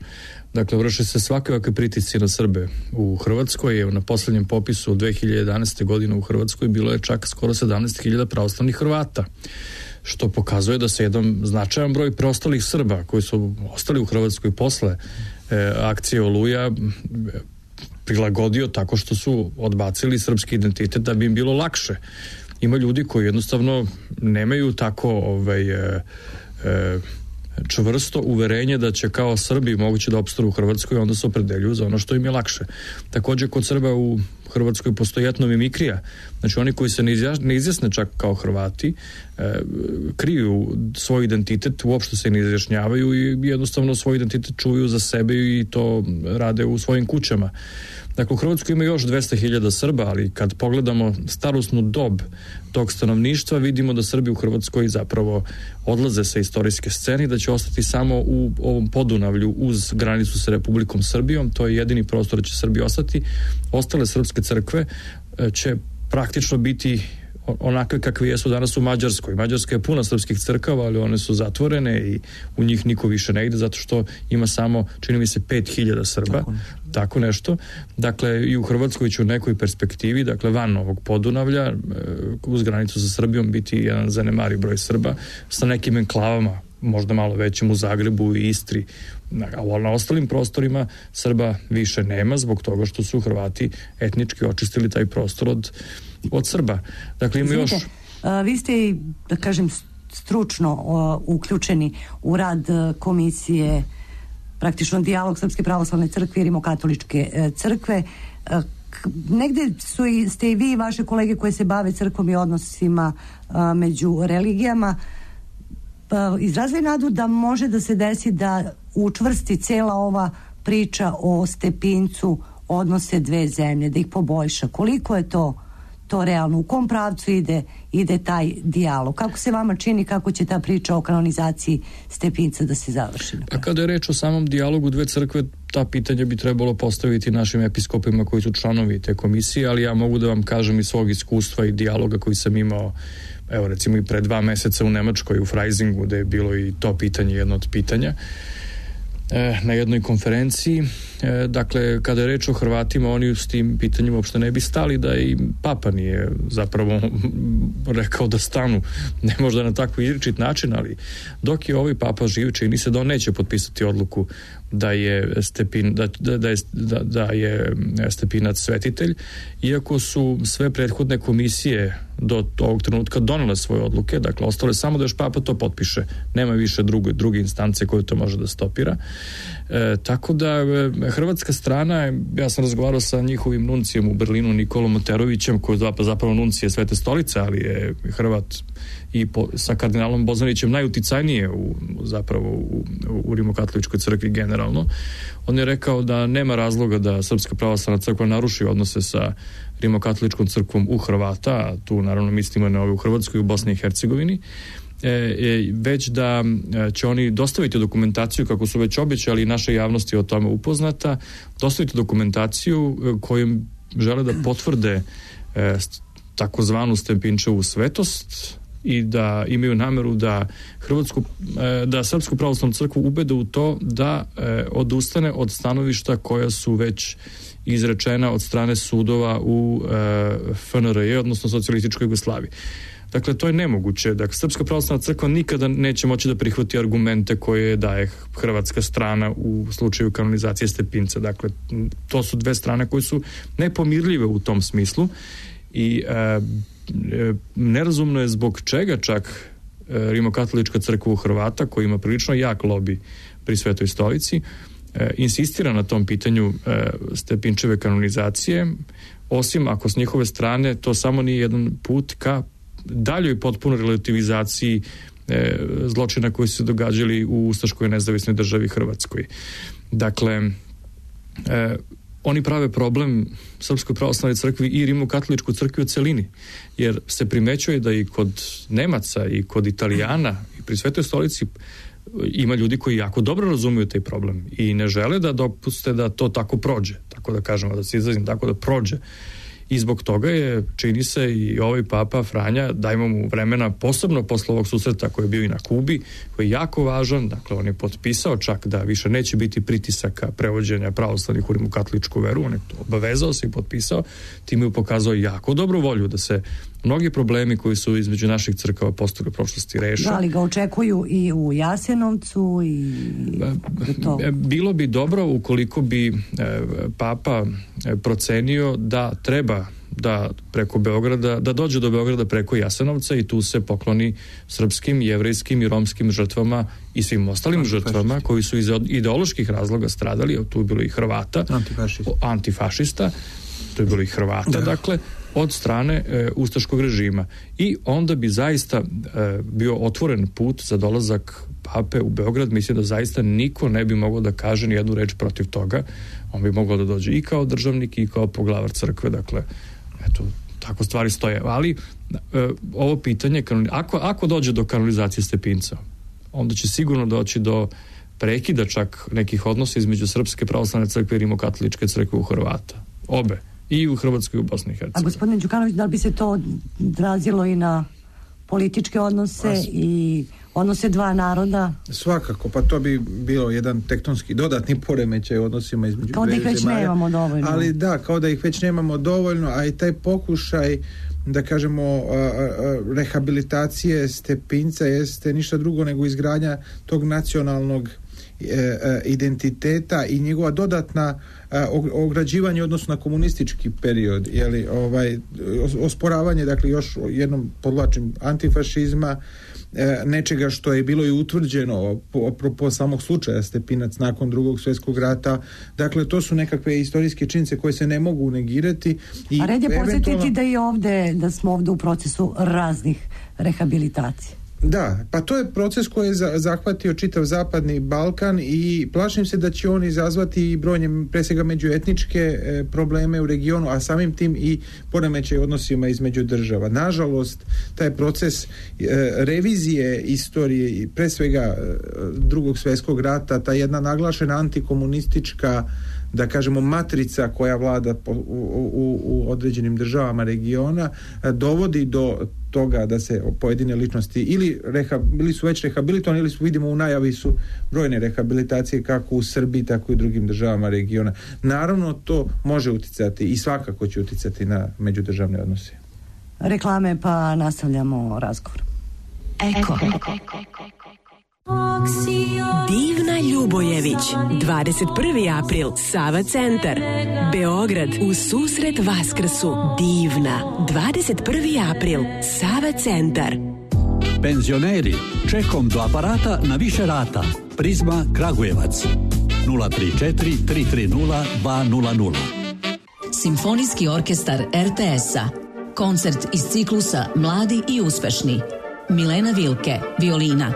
Dakle, vrše se svakakve pritisci na Srbe u Hrvatskoj. Evo, na posljednjem popisu od dve hiljade jedanaeste. godine u Hrvatskoj bilo je čak skoro sedamnaest hiljada pravoslavnih Hrvata, što pokazuje da se jedan značajan broj preostalih Srba koji su ostali u Hrvatskoj posle e, akcije Oluja prilagodio tako što su odbacili srpski identitet da bi im bilo lakše. Ima ljudi koji jednostavno nemaju tako ovaj, e, e, čvrsto uverenje da će kao Srbi moguće da opstanu u Hrvatskoj, onda se opredeljuju za ono što im je lakše. Također kod Srba u Hrvatskoj postoji etnomimikrija. Znači oni koji se ne, izja, ne izjasne čak kao Hrvati, e, kriju svoj identitet, uopšte se ne izjašnjavaju i jednostavno svoj identitet čuju za sebe i to rade u svojim kućama. Dakle, u Hrvatskoj ima još dvesta hiljada Srba, ali kad pogledamo starosnu dob tog stanovništva, vidimo da Srbi u Hrvatskoj zapravo odlaze sa istorijske scene i da će ostati samo u ovom Podunavlju uz granicu sa Republikom Srbijom. To je jedini prostor da će Srbi ostati. Ostale srpske crkve će praktično biti onakve kakve jesu danas u Mađarskoj. Mađarska je puna srpskih crkava, ali one su zatvorene i u njih niko više ne ide zato što ima samo, čini mi se, pet hiljada Srba. Tako, tako nešto. Dakle, i u Hrvatskoj će u nekoj perspektivi, dakle, van ovog Podunavlja, uz granicu sa Srbijom biti jedan zanemari broj Srba sa nekim enklavama, možda malo većim u Zagrebu i Istri. A na ostalim prostorima Srba više nema zbog toga što su Hrvati etnički očistili taj prostor od od Srba. Dakle, ima još... A, vi ste, da kažem, stručno o, uključeni u rad komisije, praktično dijalog Srpske pravoslavne crkve i Rimokatoličke e, crkve. E, k, negde su i, ste i vi i vaše kolege koje se bave crkvom i odnosima a, među religijama pa, izrazili nadu da može da se desi da učvrsti cela ova priča o Stepincu odnose dve zemlje, da ih poboljša. Koliko je to to realno, u kom pravcu ide, ide taj dijalog? Kako se vama čini, kako će ta priča o kanonizaciji Stepinca da se završi? A kada je reč o samom dijalogu dve crkve, ta pitanja bi trebalo postaviti našim episkopima koji su članovi te komisije, ali ja mogu da vam kažem iz svog iskustva i dijaloga koji sam imao, evo recimo i pre dva meseca u Nemačkoj, u Freisingu, gde je bilo i to pitanje jedno od pitanja na jednoj konferenciji. Dakle, kada je reč o Hrvatima, oni s tim pitanjima uopšte ne bi stali, da i Papa nije zapravo rekao da stanu, ne možda na tako izričit način, ali dok je ovaj Papa živ, čini se da on neće potpisati odluku da je Stepin, da, da, da, je, da, da je Stepinac svetitelj, iako su sve prethodne komisije do ovog trenutka donele svoje odluke, dakle ostalo je samo da još Papa to potpiše, nema više druge, druge instance koje to može da stopira. E, tako da e, hrvatska strana, ja sam razgovarao sa njihovim nuncijem u Berlinu, Nikolom Moterovićem, koji je zapravo nuncije Svete stolice, ali je Hrvat, i po, sa kardinalom Bozanićem najuticajnije u, zapravo u, u Rimokatoličkoj crkvi generalno. On je rekao da nema razloga da Srpska pravoslavna crkva naruši odnose sa Rimokatoličkom crkvom u Hrvata, a tu naravno mislimo na ove u Hrvatskoj i u Bosni i Hercegovini, e, e, već da će oni dostaviti dokumentaciju, kako su već obećali, i naša javnost je o tome upoznata, dostaviti dokumentaciju kojom žele da potvrde e, takozvanu Stepinčevu svetost i da imaju nameru da Hrvatsku, da Srpsku pravoslavnu crkvu ubede u to da odustane od stanovišta koja su već izrečena od strane sudova u F N R J, odnosno socijalističkoj Jugoslaviji. Dakle, to je nemoguće. Dakle, Srpska pravoslavna crkva nikada neće moći da prihvati argumente koje daje hrvatska strana u slučaju kanonizacije Stepinca. Dakle, to su dve strane koje su nepomirljive u tom smislu i e, nerazumno je zbog čega čak Rimokatolička crkva u Hrvata, koja ima prilično jak lobi pri Svetoj stolici, insistira na tom pitanju Stepinčeve kanonizacije, osim ako s njihove strane to samo nije jedan put ka daljoj potpunoj relativizaciji zločina koji su se događali u ustaškoj nezavisnoj državi Hrvatskoj. Dakle, oni prave problem Srpskoj pravoslavnoj crkvi i Rimokatoličkoj crkvi u celini, jer se primećuje da i kod Nemaca i kod Italijana i pri Svetoj stolici ima ljudi koji jako dobro razumiju taj problem i ne žele da dopuste da to tako prođe, tako da kažemo, da se izrazim tako, da prođe. I zbog toga je, čini se, i ovaj Papa Franja, dajmo mu vremena, posebno posle ovog susreta koji je bio i na Kubi, koji je jako važan. Dakle, on je potpisao čak da više neće biti pritisaka prevođenja pravoslavnih u rimokatoličku veru, on je to obavezao se i potpisao, time je pokazao jako dobru volju da se mnogi problemi koji su između naših crkava postojali u prošlosti reše. Da li ga očekuju i u Jasenovcu i to? Bilo bi dobro ukoliko bi Papa procenio da treba da preko Beograda, da dođe do Beograda preko Jasenovca i tu se pokloni srpskim, jevrejskim i romskim žrtvama i svim ostalim antifašista. žrtvama koji su iz ideoloških razloga stradali, tu je bilo i Hrvata, antifašista, antifašista tu je bilo i Hrvata, da. dakle, od strane e, ustaškog režima. I onda bi zaista e, bio otvoren put za dolazak pape u Beograd. Mislim da zaista niko ne bi mogao da kaže ni jednu reč protiv toga. On bi mogao da dođe i kao državnik i kao poglavar crkve. Dakle, eto, tako stvari stoje. Ali e, ovo pitanje, ako, ako dođe do kanonizacije Stepinca, onda će sigurno doći do prekida čak nekih odnosa između Srpske pravoslavne crkve i Rimokatoličke crkve u Hrvata. Obe. I u Hrvatskoj i u Bosni i Hercegovini. A gospodine Đukanović, da li bi se to odrazilo i na političke odnose As... i odnose dva naroda? Svakako, pa to bi bilo jedan tektonski dodatni poremećaj u odnosima između kao da ih već zemalja, nemamo dovoljno. Ali da, kao da ih već nemamo dovoljno, a i taj pokušaj, da kažemo, a, a, rehabilitacije Stepinca jeste ništa drugo nego izgradnja tog nacionalnog e, e, identiteta i njegova dodatna a, ograđivanje odnosno na komunistički period, jeli, ovaj, osporavanje, dakle, još jednom podlačim, antifašizma, nečega što je bilo i utvrđeno apropo samog slučaja Stepinac nakon drugog svjetskog rata. Dakle, to su nekakve istorijske činjenice koje se ne mogu negirati. I a red je eventualno... podsjetiti da i ovde, da smo ovde u procesu raznih rehabilitacija. Da, pa to je proces koji je zahvatio čitav zapadni Balkan i plašim se da će on izazvati i brojne, pre svega međuetničke e, probleme u regionu, a samim tim i poremećaj odnosima između država. Nažalost, taj proces e, revizije istorije i pre svega e, drugog svjetskog rata, ta jedna naglašena antikomunistička, da kažemo, matrica koja vlada po, u, u, u određenim državama regiona, e, dovodi do toga da se pojedine ličnosti ili, reha, ili su već rehabilitovani ili su, vidimo u najavi su brojne rehabilitacije kako u Srbiji tako i u drugim državama regiona. Naravno, to može uticati i svakako će uticati na međudržavne odnose. Reklame, pa nastavljamo razgovor. Eko. Divna Ljubojević, dvadeset prvi april, Sava centar, Beograd, u susret Vaskrsu. Divna, dvadeset prvi april, Sava centar. Penzioneri, čekom do aparata na više rata. Prizma Kragujevac, nula tri četiri tri tri nula dva nula nula. Simfonijski orkestar er te es-a. Koncert iz ciklusa Mladi i uspešni. Milena Vilke, violina.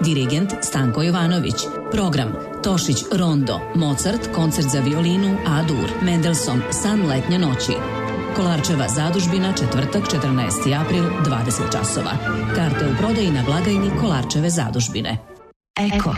Dirigent Stanko Jovanović. Program Tošić Rondo, Mozart, koncert za violinu A-dur, Mendelssohn, San letnje noći. Kolarčeva zadužbina, četvrtak, četrnaesti april, dvadeset časova. Karte u prodaji na blagajni Kolarčeve zadužbine. Eko.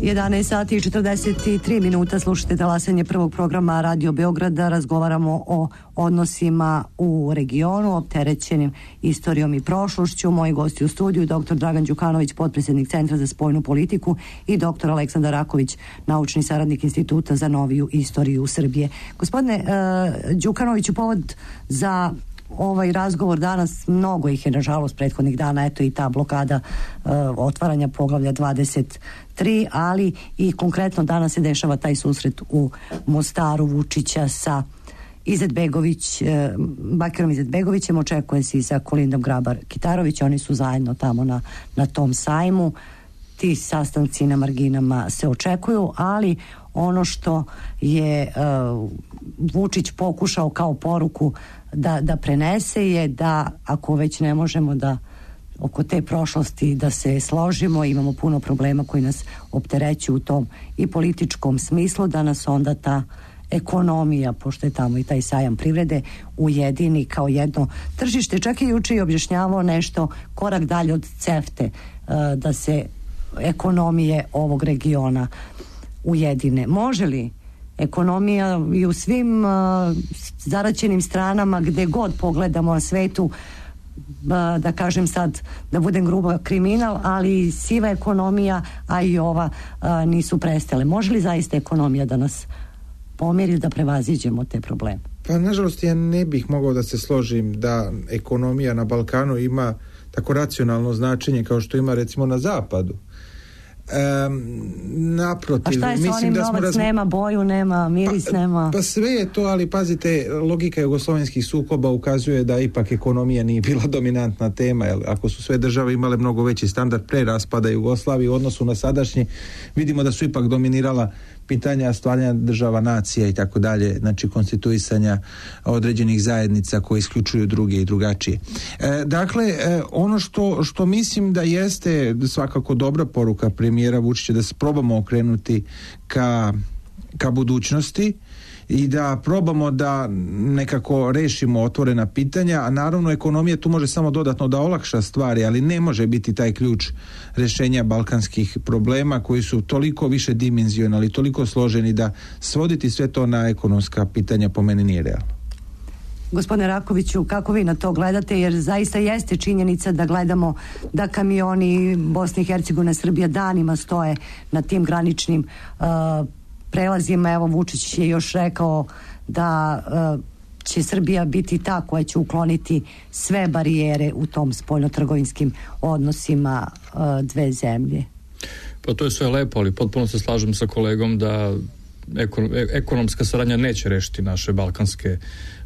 jedanaest sati i četrdeset tri minuta, slušate talasanje prvog programa Radio Beograda. Razgovaramo o odnosima u regionu, opterećenim istorijom i prošlošću. Moji gosti u studiju, doktor Dragan Đukanović, potpredsjednik Centra za spoljnu politiku, i doktor Aleksandar Raković, naučni saradnik Instituta za noviju istoriju Srbije. Gospodine uh, Đukanoviću, povod za ovaj razgovor danas, mnogo ih je nažalost prethodnih dana, eto i ta blokada uh, otvaranja poglavlja dvadeset tri, ali i konkretno danas se dešava taj susret u Mostaru Vučića sa Izetbegović, uh, Bakirom Izetbegovićem, očekuje se i sa Kolindom Grabar-Kitarović, oni su zajedno tamo na, na tom sajmu. Ti sastanci na marginama se očekuju, ali ono što je uh, Vučić pokušao kao poruku da, da prenese je da ako već ne možemo da oko te prošlosti da se složimo, imamo puno problema koji nas opterećuju u tom i političkom smislu, da nas onda ta ekonomija, pošto je tamo i taj sajam privrede, ujedini kao jedno tržište. Čak je juče i objašnjavao nešto korak dalje od CEFTE, uh, da se ekonomije ovog regiona ujedine. Može li ekonomija i u svim uh, zaraćenim stranama gde god pogledamo na svetu, uh, da kažem sad, da budem gruba, kriminal, ali siva ekonomija, a i ova uh, nisu prestale. Može li zaista ekonomija da nas pomiri, da prevaziđemo te probleme? Pa nažalost ja ne bih mogao da se složim da ekonomija na Balkanu ima tako racionalno značenje kao što ima recimo na zapadu. Um, naprotiv, A šta je sa mislim onim da smo novac razmi... nema boju, nema miris, pa, nema... Pa sve je to, ali pazite, logika jugoslovenskih sukoba ukazuje da ipak ekonomija nije bila dominantna tema, jer ako su sve države imale mnogo veći standard pre raspada Jugoslavije u odnosu na sadašnji, vidimo da su ipak dominirala pitanja stvaranja država, nacija i tako dalje, znači konstituisanja određenih zajednica koje isključuju druge i drugačije. E, dakle, e, ono što, što mislim da jeste svakako dobra poruka premijera Vučića, da se probamo okrenuti ka, ka budućnosti i da probamo da nekako rešimo otvorena pitanja, a naravno ekonomija tu može samo dodatno da olakša stvari, ali ne može biti taj ključ rešenja balkanskih problema koji su toliko više dimenzionalni, toliko složeni da svoditi sve to na ekonomska pitanja po meni nije realno. Gospodine Rakoviću, kako vi na to gledate, jer zaista jeste činjenica da gledamo da kamioni Bosne i Hercegovine, Srbija danima stoje na tim graničnim uh, prelazima. Evo, Vučić je još rekao da uh, će Srbija biti ta koja će ukloniti sve barijere u tom spoljnotrgovinskim odnosima uh, dve zemlje. Pa to je sve lepo, ali potpuno se slažem sa kolegom da ekon, ekonomska saradnja neće rešiti naše balkanske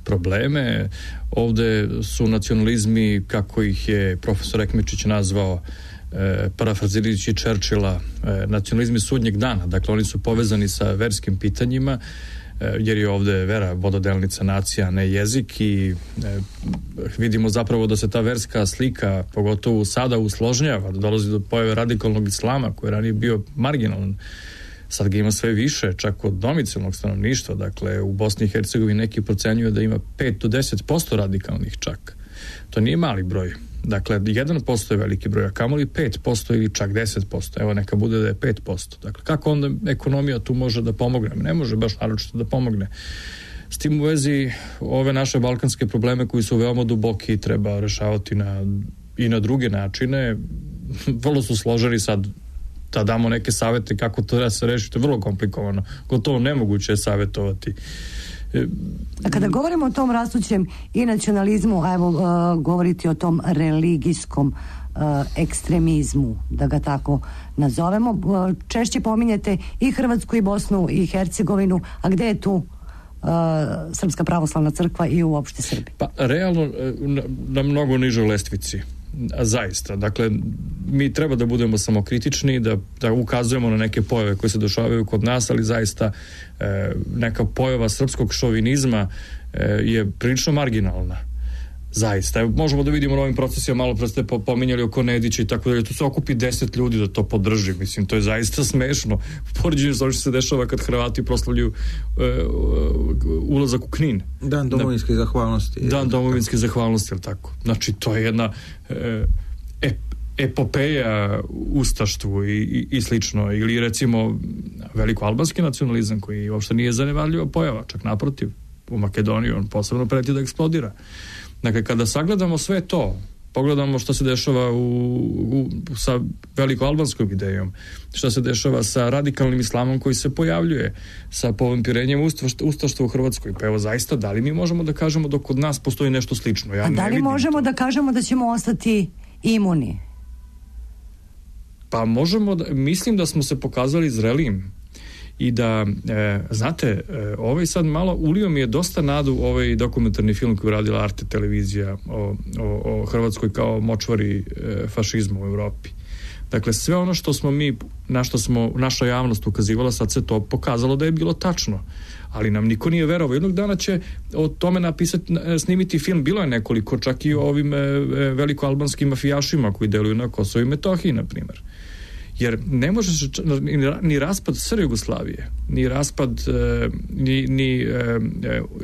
probleme. Ovde su nacionalizmi, kako ih je profesor Ekmečić nazvao, E, parafrazirajući Churchilla, e, nacionalizmi sudnjeg dana, dakle oni su povezani sa verskim pitanjima, e, jer je ovde vera vododelnica nacija, a ne jezik, i e, vidimo zapravo da se ta verska slika pogotovo sada usložnjava, da dolazi do pojave radikalnog islama koji je ranije bio marginalan. Sad ga ima sve više, čak od domicilnog stanovništva. Dakle, u Bosni i Hercegovini neki procenjuju da ima pet do deset posto radikalnih čak. To nije mali broj. Dakle, jedan posto je veliki broj, a kamoli pet posto ili čak deset posto. Evo, neka bude da je pet posto. Dakle, kako onda ekonomija tu može da pomogne? Ne može baš naročito da pomogne. S tim u vezi, ove naše balkanske probleme koji su veoma duboki treba rešavati na, i na druge načine. Vrlo su složeni sad da damo neke savete kako to da se reši, to je vrlo komplikovano. Gotovo nemoguće je savetovati. A kada govorimo o tom rastućem i nacionalizmu, a evo uh, govoriti o tom religijskom uh, ekstremizmu, da ga tako nazovemo, uh, češće pominjete i Hrvatsku i Bosnu i Hercegovinu, a gde je tu uh, Srpska pravoslavna crkva i uopšte Srbi? Pa realno na, na mnogo nižoj lestvici. A zaista, dakle, mi treba da budemo samokritični, da, da ukazujemo na neke pojave koje se dešavaju kod nas, ali zaista e, neka pojava srpskog šovinizma e, je prilično marginalna. Zaista. Evo, možemo da vidimo na ovim procesima, malo pre ste pominjali oko Nedića i tako dalje, tu se okupi deset ljudi da to podrži. Mislim, to je zaista smešno. U poređenju sa ono što se dešava kad Hrvati proslavljaju e, ulazak u Knin. Dan domovinske zahvalnosti. Dan domovinske zahvalnosti, ili tako. Znači, to je jedna e, ep, epopeja ustaštvu i, i, i slično. Ili recimo veliko-albanski nacionalizam koji uopšte nije zanemarljiva pojava, čak naprotiv. U Makedoniji on posebno preti da eksplodira. Dakle, kada sagledamo sve to, pogledamo što se dešava u, u, sa veliko-albanskom idejom, što se dešava sa radikalnim islamom koji se pojavljuje, sa povampirenjem ustaštva u Hrvatskoj, pa evo zaista, da li mi možemo da kažemo da kod nas postoji nešto slično? Ja A da li možemo to. da kažemo da ćemo ostati imuni? Pa možemo, da, mislim da smo se pokazali zrelim. I da, e, znate, e, ovaj sad malo ulio mi je dosta nadu ovaj dokumentarni film koji je radila Arte televizija o, o, o Hrvatskoj kao močvari e, fašizma u Evropi. Dakle, sve ono što smo mi, na što smo naša javnost ukazivala, sad se to pokazalo da je bilo tačno. Ali nam niko nije verovao. Jednog dana će o tome napisati, snimiti film. Bilo je nekoliko, čak i o ovim e, velikoalbanskim mafijašima koji deluju na Kosovu i Metohiji, na primjer. Jer ne može se ni raspad SR Jugoslavije, ni raspad, ni, ni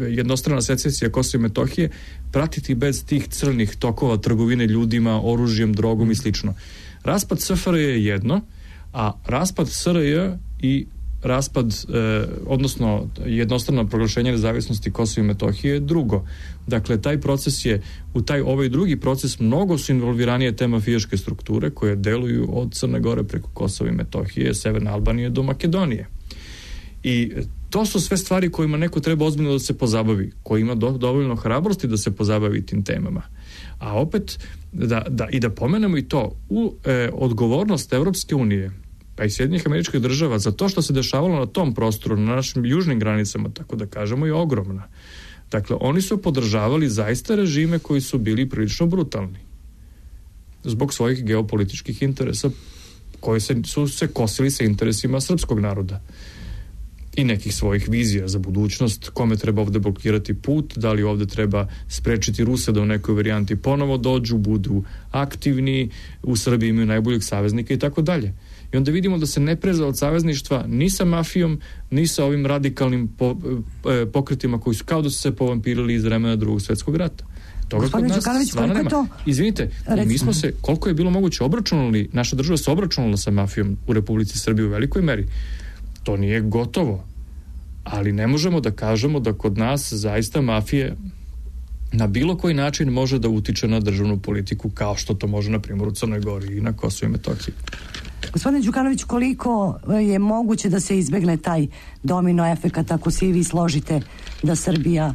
jednostrana secesija Kosova i Metohije pratiti bez tih crnih tokova trgovine ljudima, oružjem, drogom i slično. Raspad S F R J je jedno, a raspad S R J i raspad, eh, odnosno jednostrano proglašenje nezavisnosti Kosova i Metohije je drugo. Dakle, taj proces je, u taj ovaj drugi proces mnogo su involviranije te mafijaške strukture koje deluju od Crne Gore preko Kosova i Metohije, Severne Albanije do Makedonije. I to su sve stvari kojima neko treba ozbiljno da se pozabavi, koji ima do, dovoljno hrabrosti da se pozabavi tim temama. A opet, da, da, i da pomenemo i to, u, e, odgovornost Evropske unije pa i Sjedinjenih Američkih Država za to što se dešavalo na tom prostoru, na našim južnim granicama, tako da kažemo, je ogromna. Dakle, oni su podržavali zaista režime koji su bili prilično brutalni zbog svojih geopolitičkih interesa koji se, su se kosili sa interesima srpskog naroda i nekih svojih vizija za budućnost, kome treba ovde blokirati put, da li ovde treba sprečiti Ruse da u nekoj varijanti ponovo dođu, budu aktivni, u Srbiji imaju najboljeg saveznika i tako dalje. I onda vidimo da se ne preza od savezništva ni sa mafijom, ni sa ovim radikalnim po, e, pokretima koji su kao da su se povampirili iz vremena Drugog svjetskog rata. Toga kod nas stvarno nema. To? Izvinite, mi smo se, koliko je bilo moguće, obračunali, naša država se obračunala sa mafijom u Republici Srbiji u velikoj meri. To nije gotovo, ali ne možemo da kažemo da kod nas zaista mafije na bilo koji način može da utiče na državnu politiku kao što to može na primjer u Crnoj Gori i na Kosovu i Metohiji. Gospodine Đukanović, koliko je moguće da se izbegne taj domino efekat ako se i vi složite da Srbija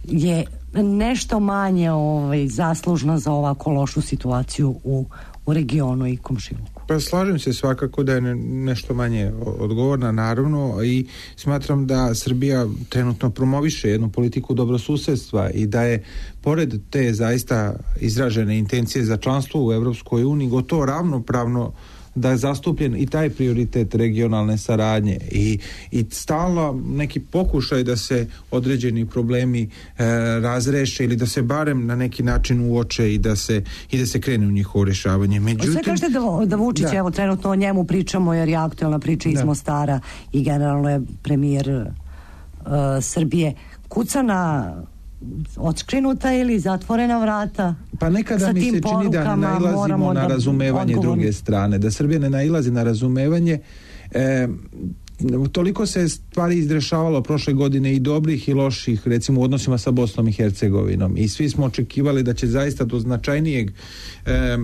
je nešto manje ovaj, zaslužna za ovako lošu situaciju u, u regionu i komšiluku? Pa slažem se svakako da je ne, nešto manje odgovorna, naravno, i smatram da Srbija trenutno promoviše jednu politiku dobrosusedstva i da je pored te zaista izražene intencije za članstvo u Evropskoj uniji gotovo ravnopravno da je zastupljen i taj prioritet regionalne saradnje i, i stalno neki pokušaj da se određeni problemi e, razreše ili da se barem na neki način uoče i da se, i da se krene u njihovo rješavanje. Međutim, sve kažete da, da Vučić, da. Evo trenutno o njemu pričamo jer je aktualna priča iz da. Mostara i generalno je premijer uh, Srbije. Kuca na odškrinuta ili zatvorena vrata? Pa nekada mi se čini da ne nailazimo na razumevanje odgovorni. Druge strane, da Srbija ne nailazi na razumevanje. E, toliko se stvari izrešavalo prošle godine i dobrih i loših, recimo u odnosima sa Bosnom i Hercegovinom, i svi smo očekivali da će zaista do značajnijeg e,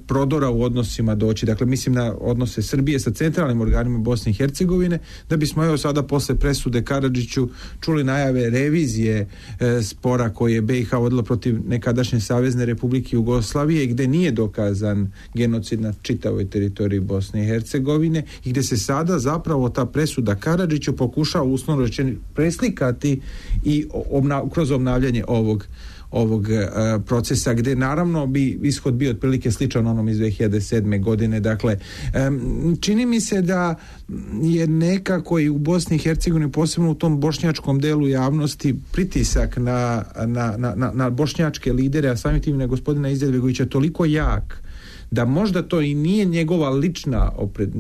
prodora u odnosima doći, dakle mislim na odnose Srbije sa centralnim organima Bosne i Hercegovine, da bismo evo sada posle presude Karadžiću čuli najave revizije e, spora koji je B i H vodila protiv nekadašnje Savezne Republike Jugoslavije, gde nije dokazan genocid na čitavoj teritoriji Bosne i Hercegovine i gde se sada zapravo ta presuda Karadžiću pokušava uslovno rečeno preslikati i obna, kroz obnavljanje ovog ovog uh, procesa, gde naravno bi ishod bio otprilike sličan onom iz dve hiljade sedme godine. Dakle, um, čini mi se da je nekako i u Bosni i Hercegovini, posebno u tom bošnjačkom delu javnosti, pritisak na, na, na, na bošnjačke lidere, a samim tim na gospodina Izetbegovića toliko jak da možda to i nije njegova lična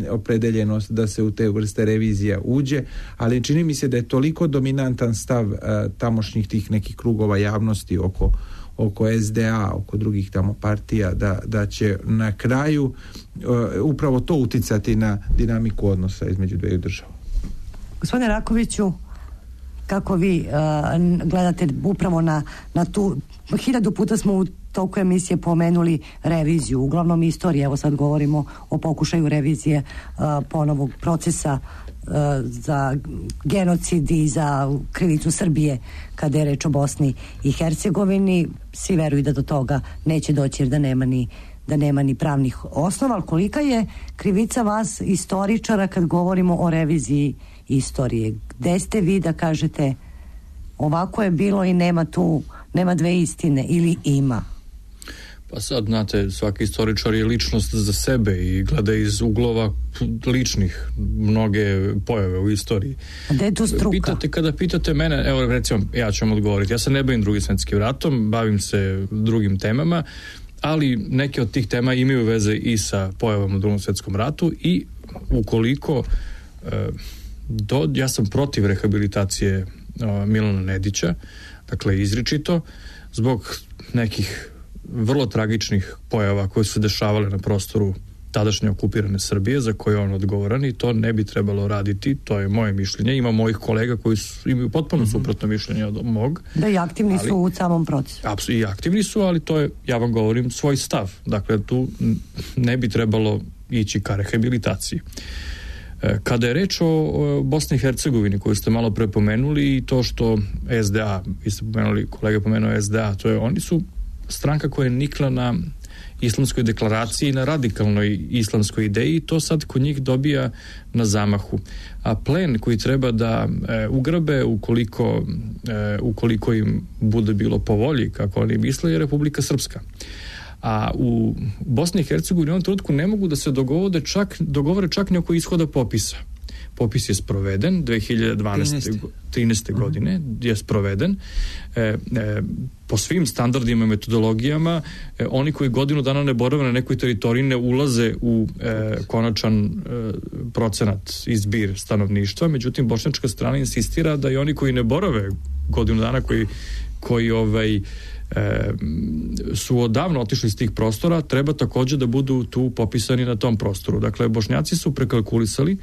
opredeljenost da se u te vrste revizija uđe, ali čini mi se da je toliko dominantan stav uh, tamošnjih tih nekih krugova javnosti oko, oko S D A, oko drugih tamo partija, da, da će na kraju uh, upravo to uticati na dinamiku odnosa između dveju država. Gospodine Rakoviću, kako vi uh, gledate upravo na, na tu, hiljadu puta smo u toliko emisije pomenuli reviziju, uglavnom istorije, evo sad govorimo o pokušaju revizije uh, ponovog procesa uh, za genocid i za krivicu Srbije kada je reč o Bosni i Hercegovini. Svi veruju da do toga neće doći jer da nema ni da nema ni pravnih osnova, ali kolika je krivica vas istoričara kad govorimo o reviziji istorije? Gde ste vi da kažete ovako je bilo i nema tu, nema dve istine, ili ima? Pa sad, znate, svaki istoričar je ličnost za sebe i gleda iz uglova ličnih mnoge pojave u istoriji. A gde je tu struka? Pitate, kada pitate mene, evo recimo, ja ću vam odgovoriti, ja se ne bavim Drugim svjetskim ratom, bavim se drugim temama, ali neke od tih tema imaju veze i sa pojavama u Drugom svjetskom ratu i ukoliko e, do, ja sam protiv rehabilitacije e, Milana Nedića, dakle izričito, zbog nekih vrlo tragičnih pojava koje su dešavale na prostoru tadašnje okupirane Srbije, za koje je on odgovoran, i to ne bi trebalo raditi, to je moje mišljenje. Ima mojih kolega koji su, imaju potpuno mm-hmm. suprotno mišljenje od mog. Da, i aktivni ali, su u samom procesu. Apsolutno, i aktivni su, ali to je, ja vam govorim, svoj stav. Dakle, tu ne bi trebalo ići ka rehabilitaciji. Kada je reč o Bosni i Hercegovini, koju ste malo pre pomenuli, i to što S D A, vi ste pomenuli, kolega pomenuo S D A, to je, oni su stranka koja je nikla na islamskoj deklaraciji, na radikalnoj islamskoj ideji, to sad kod njih dobija na zamahu. A plen koji treba da e, ugrabe ukoliko, e, ukoliko im bude bilo po volji, kako oni misle, je Republika Srpska. A u Bosni i Hercegovini u ovom trenutku ne mogu da se dogovore čak, dogovore čak ni oko ishoda popisa. Popis je sproveden dve hiljade dvanaeste. trinaeste. godine je sproveden e, e, po svim standardima i metodologijama. E, oni koji godinu dana ne borave na nekoj teritoriji ne ulaze u e, konačan e, procenat izbir stanovništva, međutim bošnjačka strana insistira da i oni koji ne borave godinu dana, koji, koji ovaj E, su odavno otišli iz tih prostora, treba također da budu tu popisani na tom prostoru. Dakle, Bošnjaci su prekalkulisali,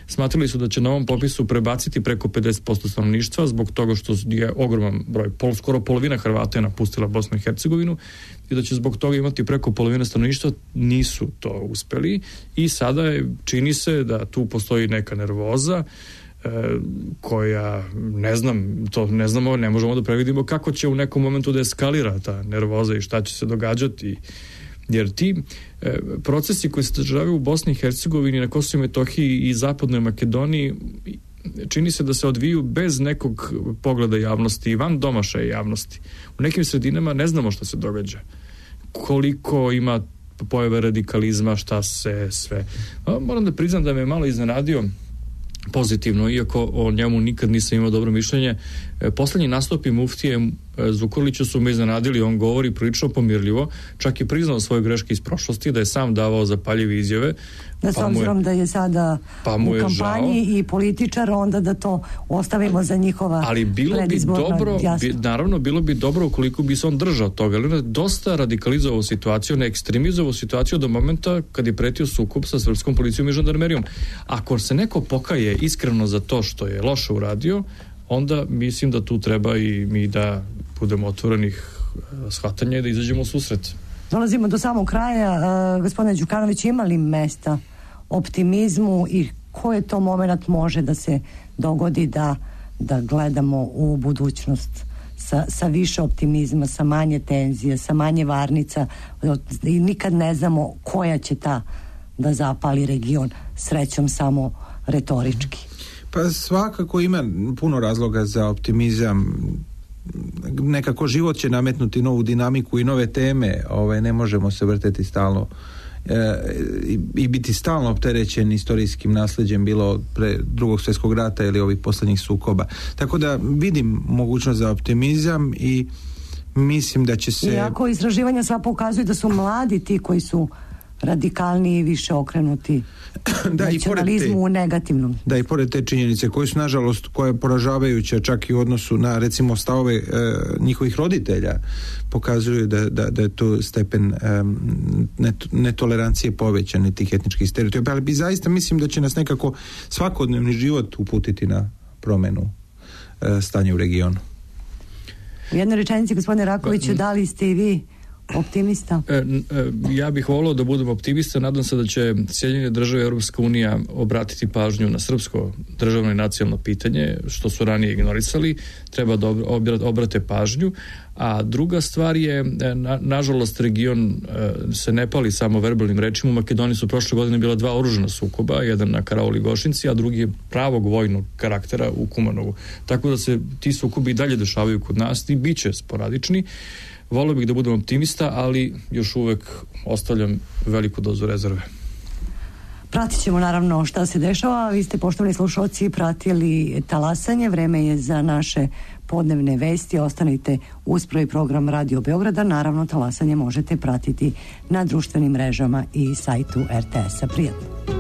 smatrali su da će na ovom popisu prebaciti preko pedeset posto stanovništva zbog toga što je ogroman broj, pol, skoro polovina Hrvata je napustila Bosnu i Hercegovinu i da će zbog toga imati preko polovine stanovništva. Nisu to uspeli i sada je, čini se da tu postoji neka nervoza koja, ne znam, to ne znamo, ne možemo da previdimo kako će u nekom momentu da eskalira ta nervoza i šta će se događati, jer ti e, procesi koji se dešavaju u Bosni i Hercegovini, na Kosovu i Metohiji i Zapadnoj Makedoniji, čini se da se odviju bez nekog pogleda javnosti i van domašaja javnosti. U nekim sredinama ne znamo šta se događa, koliko ima pojave radikalizma, šta se sve. A, moram da priznam da me malo iznenadio pozitivno, iako o njemu nikad nisam imao dobro mišljenje. E, poslednji nastupi muftije e, Zukorlića su me iznenadili, on govori prilično pomirljivo, čak je priznao svoje greške iz prošlosti, da je sam davao zapaljive izjave. Da, s obzirom da je sada pa u kampanji žao. I političar, onda da to ostavimo za njihova ali bilo bi dobro, bi, naravno bilo bi dobro ukoliko bi se on držao toga, ali on je dosta radikalizovao situaciju, ne ekstremizovao situaciju do momenta kad je pretio sukob sa srpskom policijom i žandarmerijom. Ako se neko pokaje iskreno za to što je loše uradio, onda mislim da tu treba i mi da budemo otvorenih shvatanja i da izađemo u susret. Dolazimo do samog kraja. Uh, gospodine Đukanović, ima li mesta optimizmu i koji to moment može da se dogodi da, da gledamo u budućnost sa, sa više optimizma, sa manje tenzije, sa manje varnica i nikad ne znamo koja će ta da zapali region, srećom samo retorički? Pa svakako ima puno razloga za optimizam. Nekako život će nametnuti novu dinamiku i nove teme, ovaj, ne možemo se vrteti stalno e, i, i biti stalno opterećen istorijskim nasleđem, bilo pre drugog svjetskog rata ili ovih posljednjih sukoba. Tako da vidim mogućnost za optimizam i mislim da će se... Iako istraživanja sva pokazuju da su mladi ti koji su radikalniji i više okrenuti da, nacionalizmu u negativnom. Da, i pored te činjenice koje su nažalost, koje je poražavajuća čak i u odnosu na recimo stavove e, njihovih roditelja, pokazuju da, da, da je to stepen e, net, netolerancije povećan tih etničkih stereotipa, ali bi zaista mislim da će nas nekako svakodnevni život uputiti na promenu e, stanja u regionu. U jednoj rečenici, gospodine Rakoviću, da li ste i vi optimista? E, e, ja bih volio da budem optimista. Nadam se da će Sjedinjene Države i Europska unija obratiti pažnju na srpsko državno i nacionalno pitanje, što su ranije ignorisali. Treba da obrate pažnju. A druga stvar je, na, nažalost, region e, se ne pali samo verbalnim rečima. U Makedoniji su prošle godine bila dva oružana sukoba, jedan na Karaoli Gošinci, a drugi je pravog vojnog karaktera u Kumanovu. Tako da se ti sukobi i dalje dešavaju kod nas i bit će sporadični. Volio bih da budem optimista, ali još uvek ostavljam veliku dozu rezerve. Pratit ćemo naravno šta se dešava. Vi ste, poštovani slušalci, pratili Talasanje. Vreme je za naše podnevne vesti. Ostanite uz prvi program Radio Beograda. Naravno, Talasanje možete pratiti na društvenim mrežama i sajtu er te esa. Prijatno.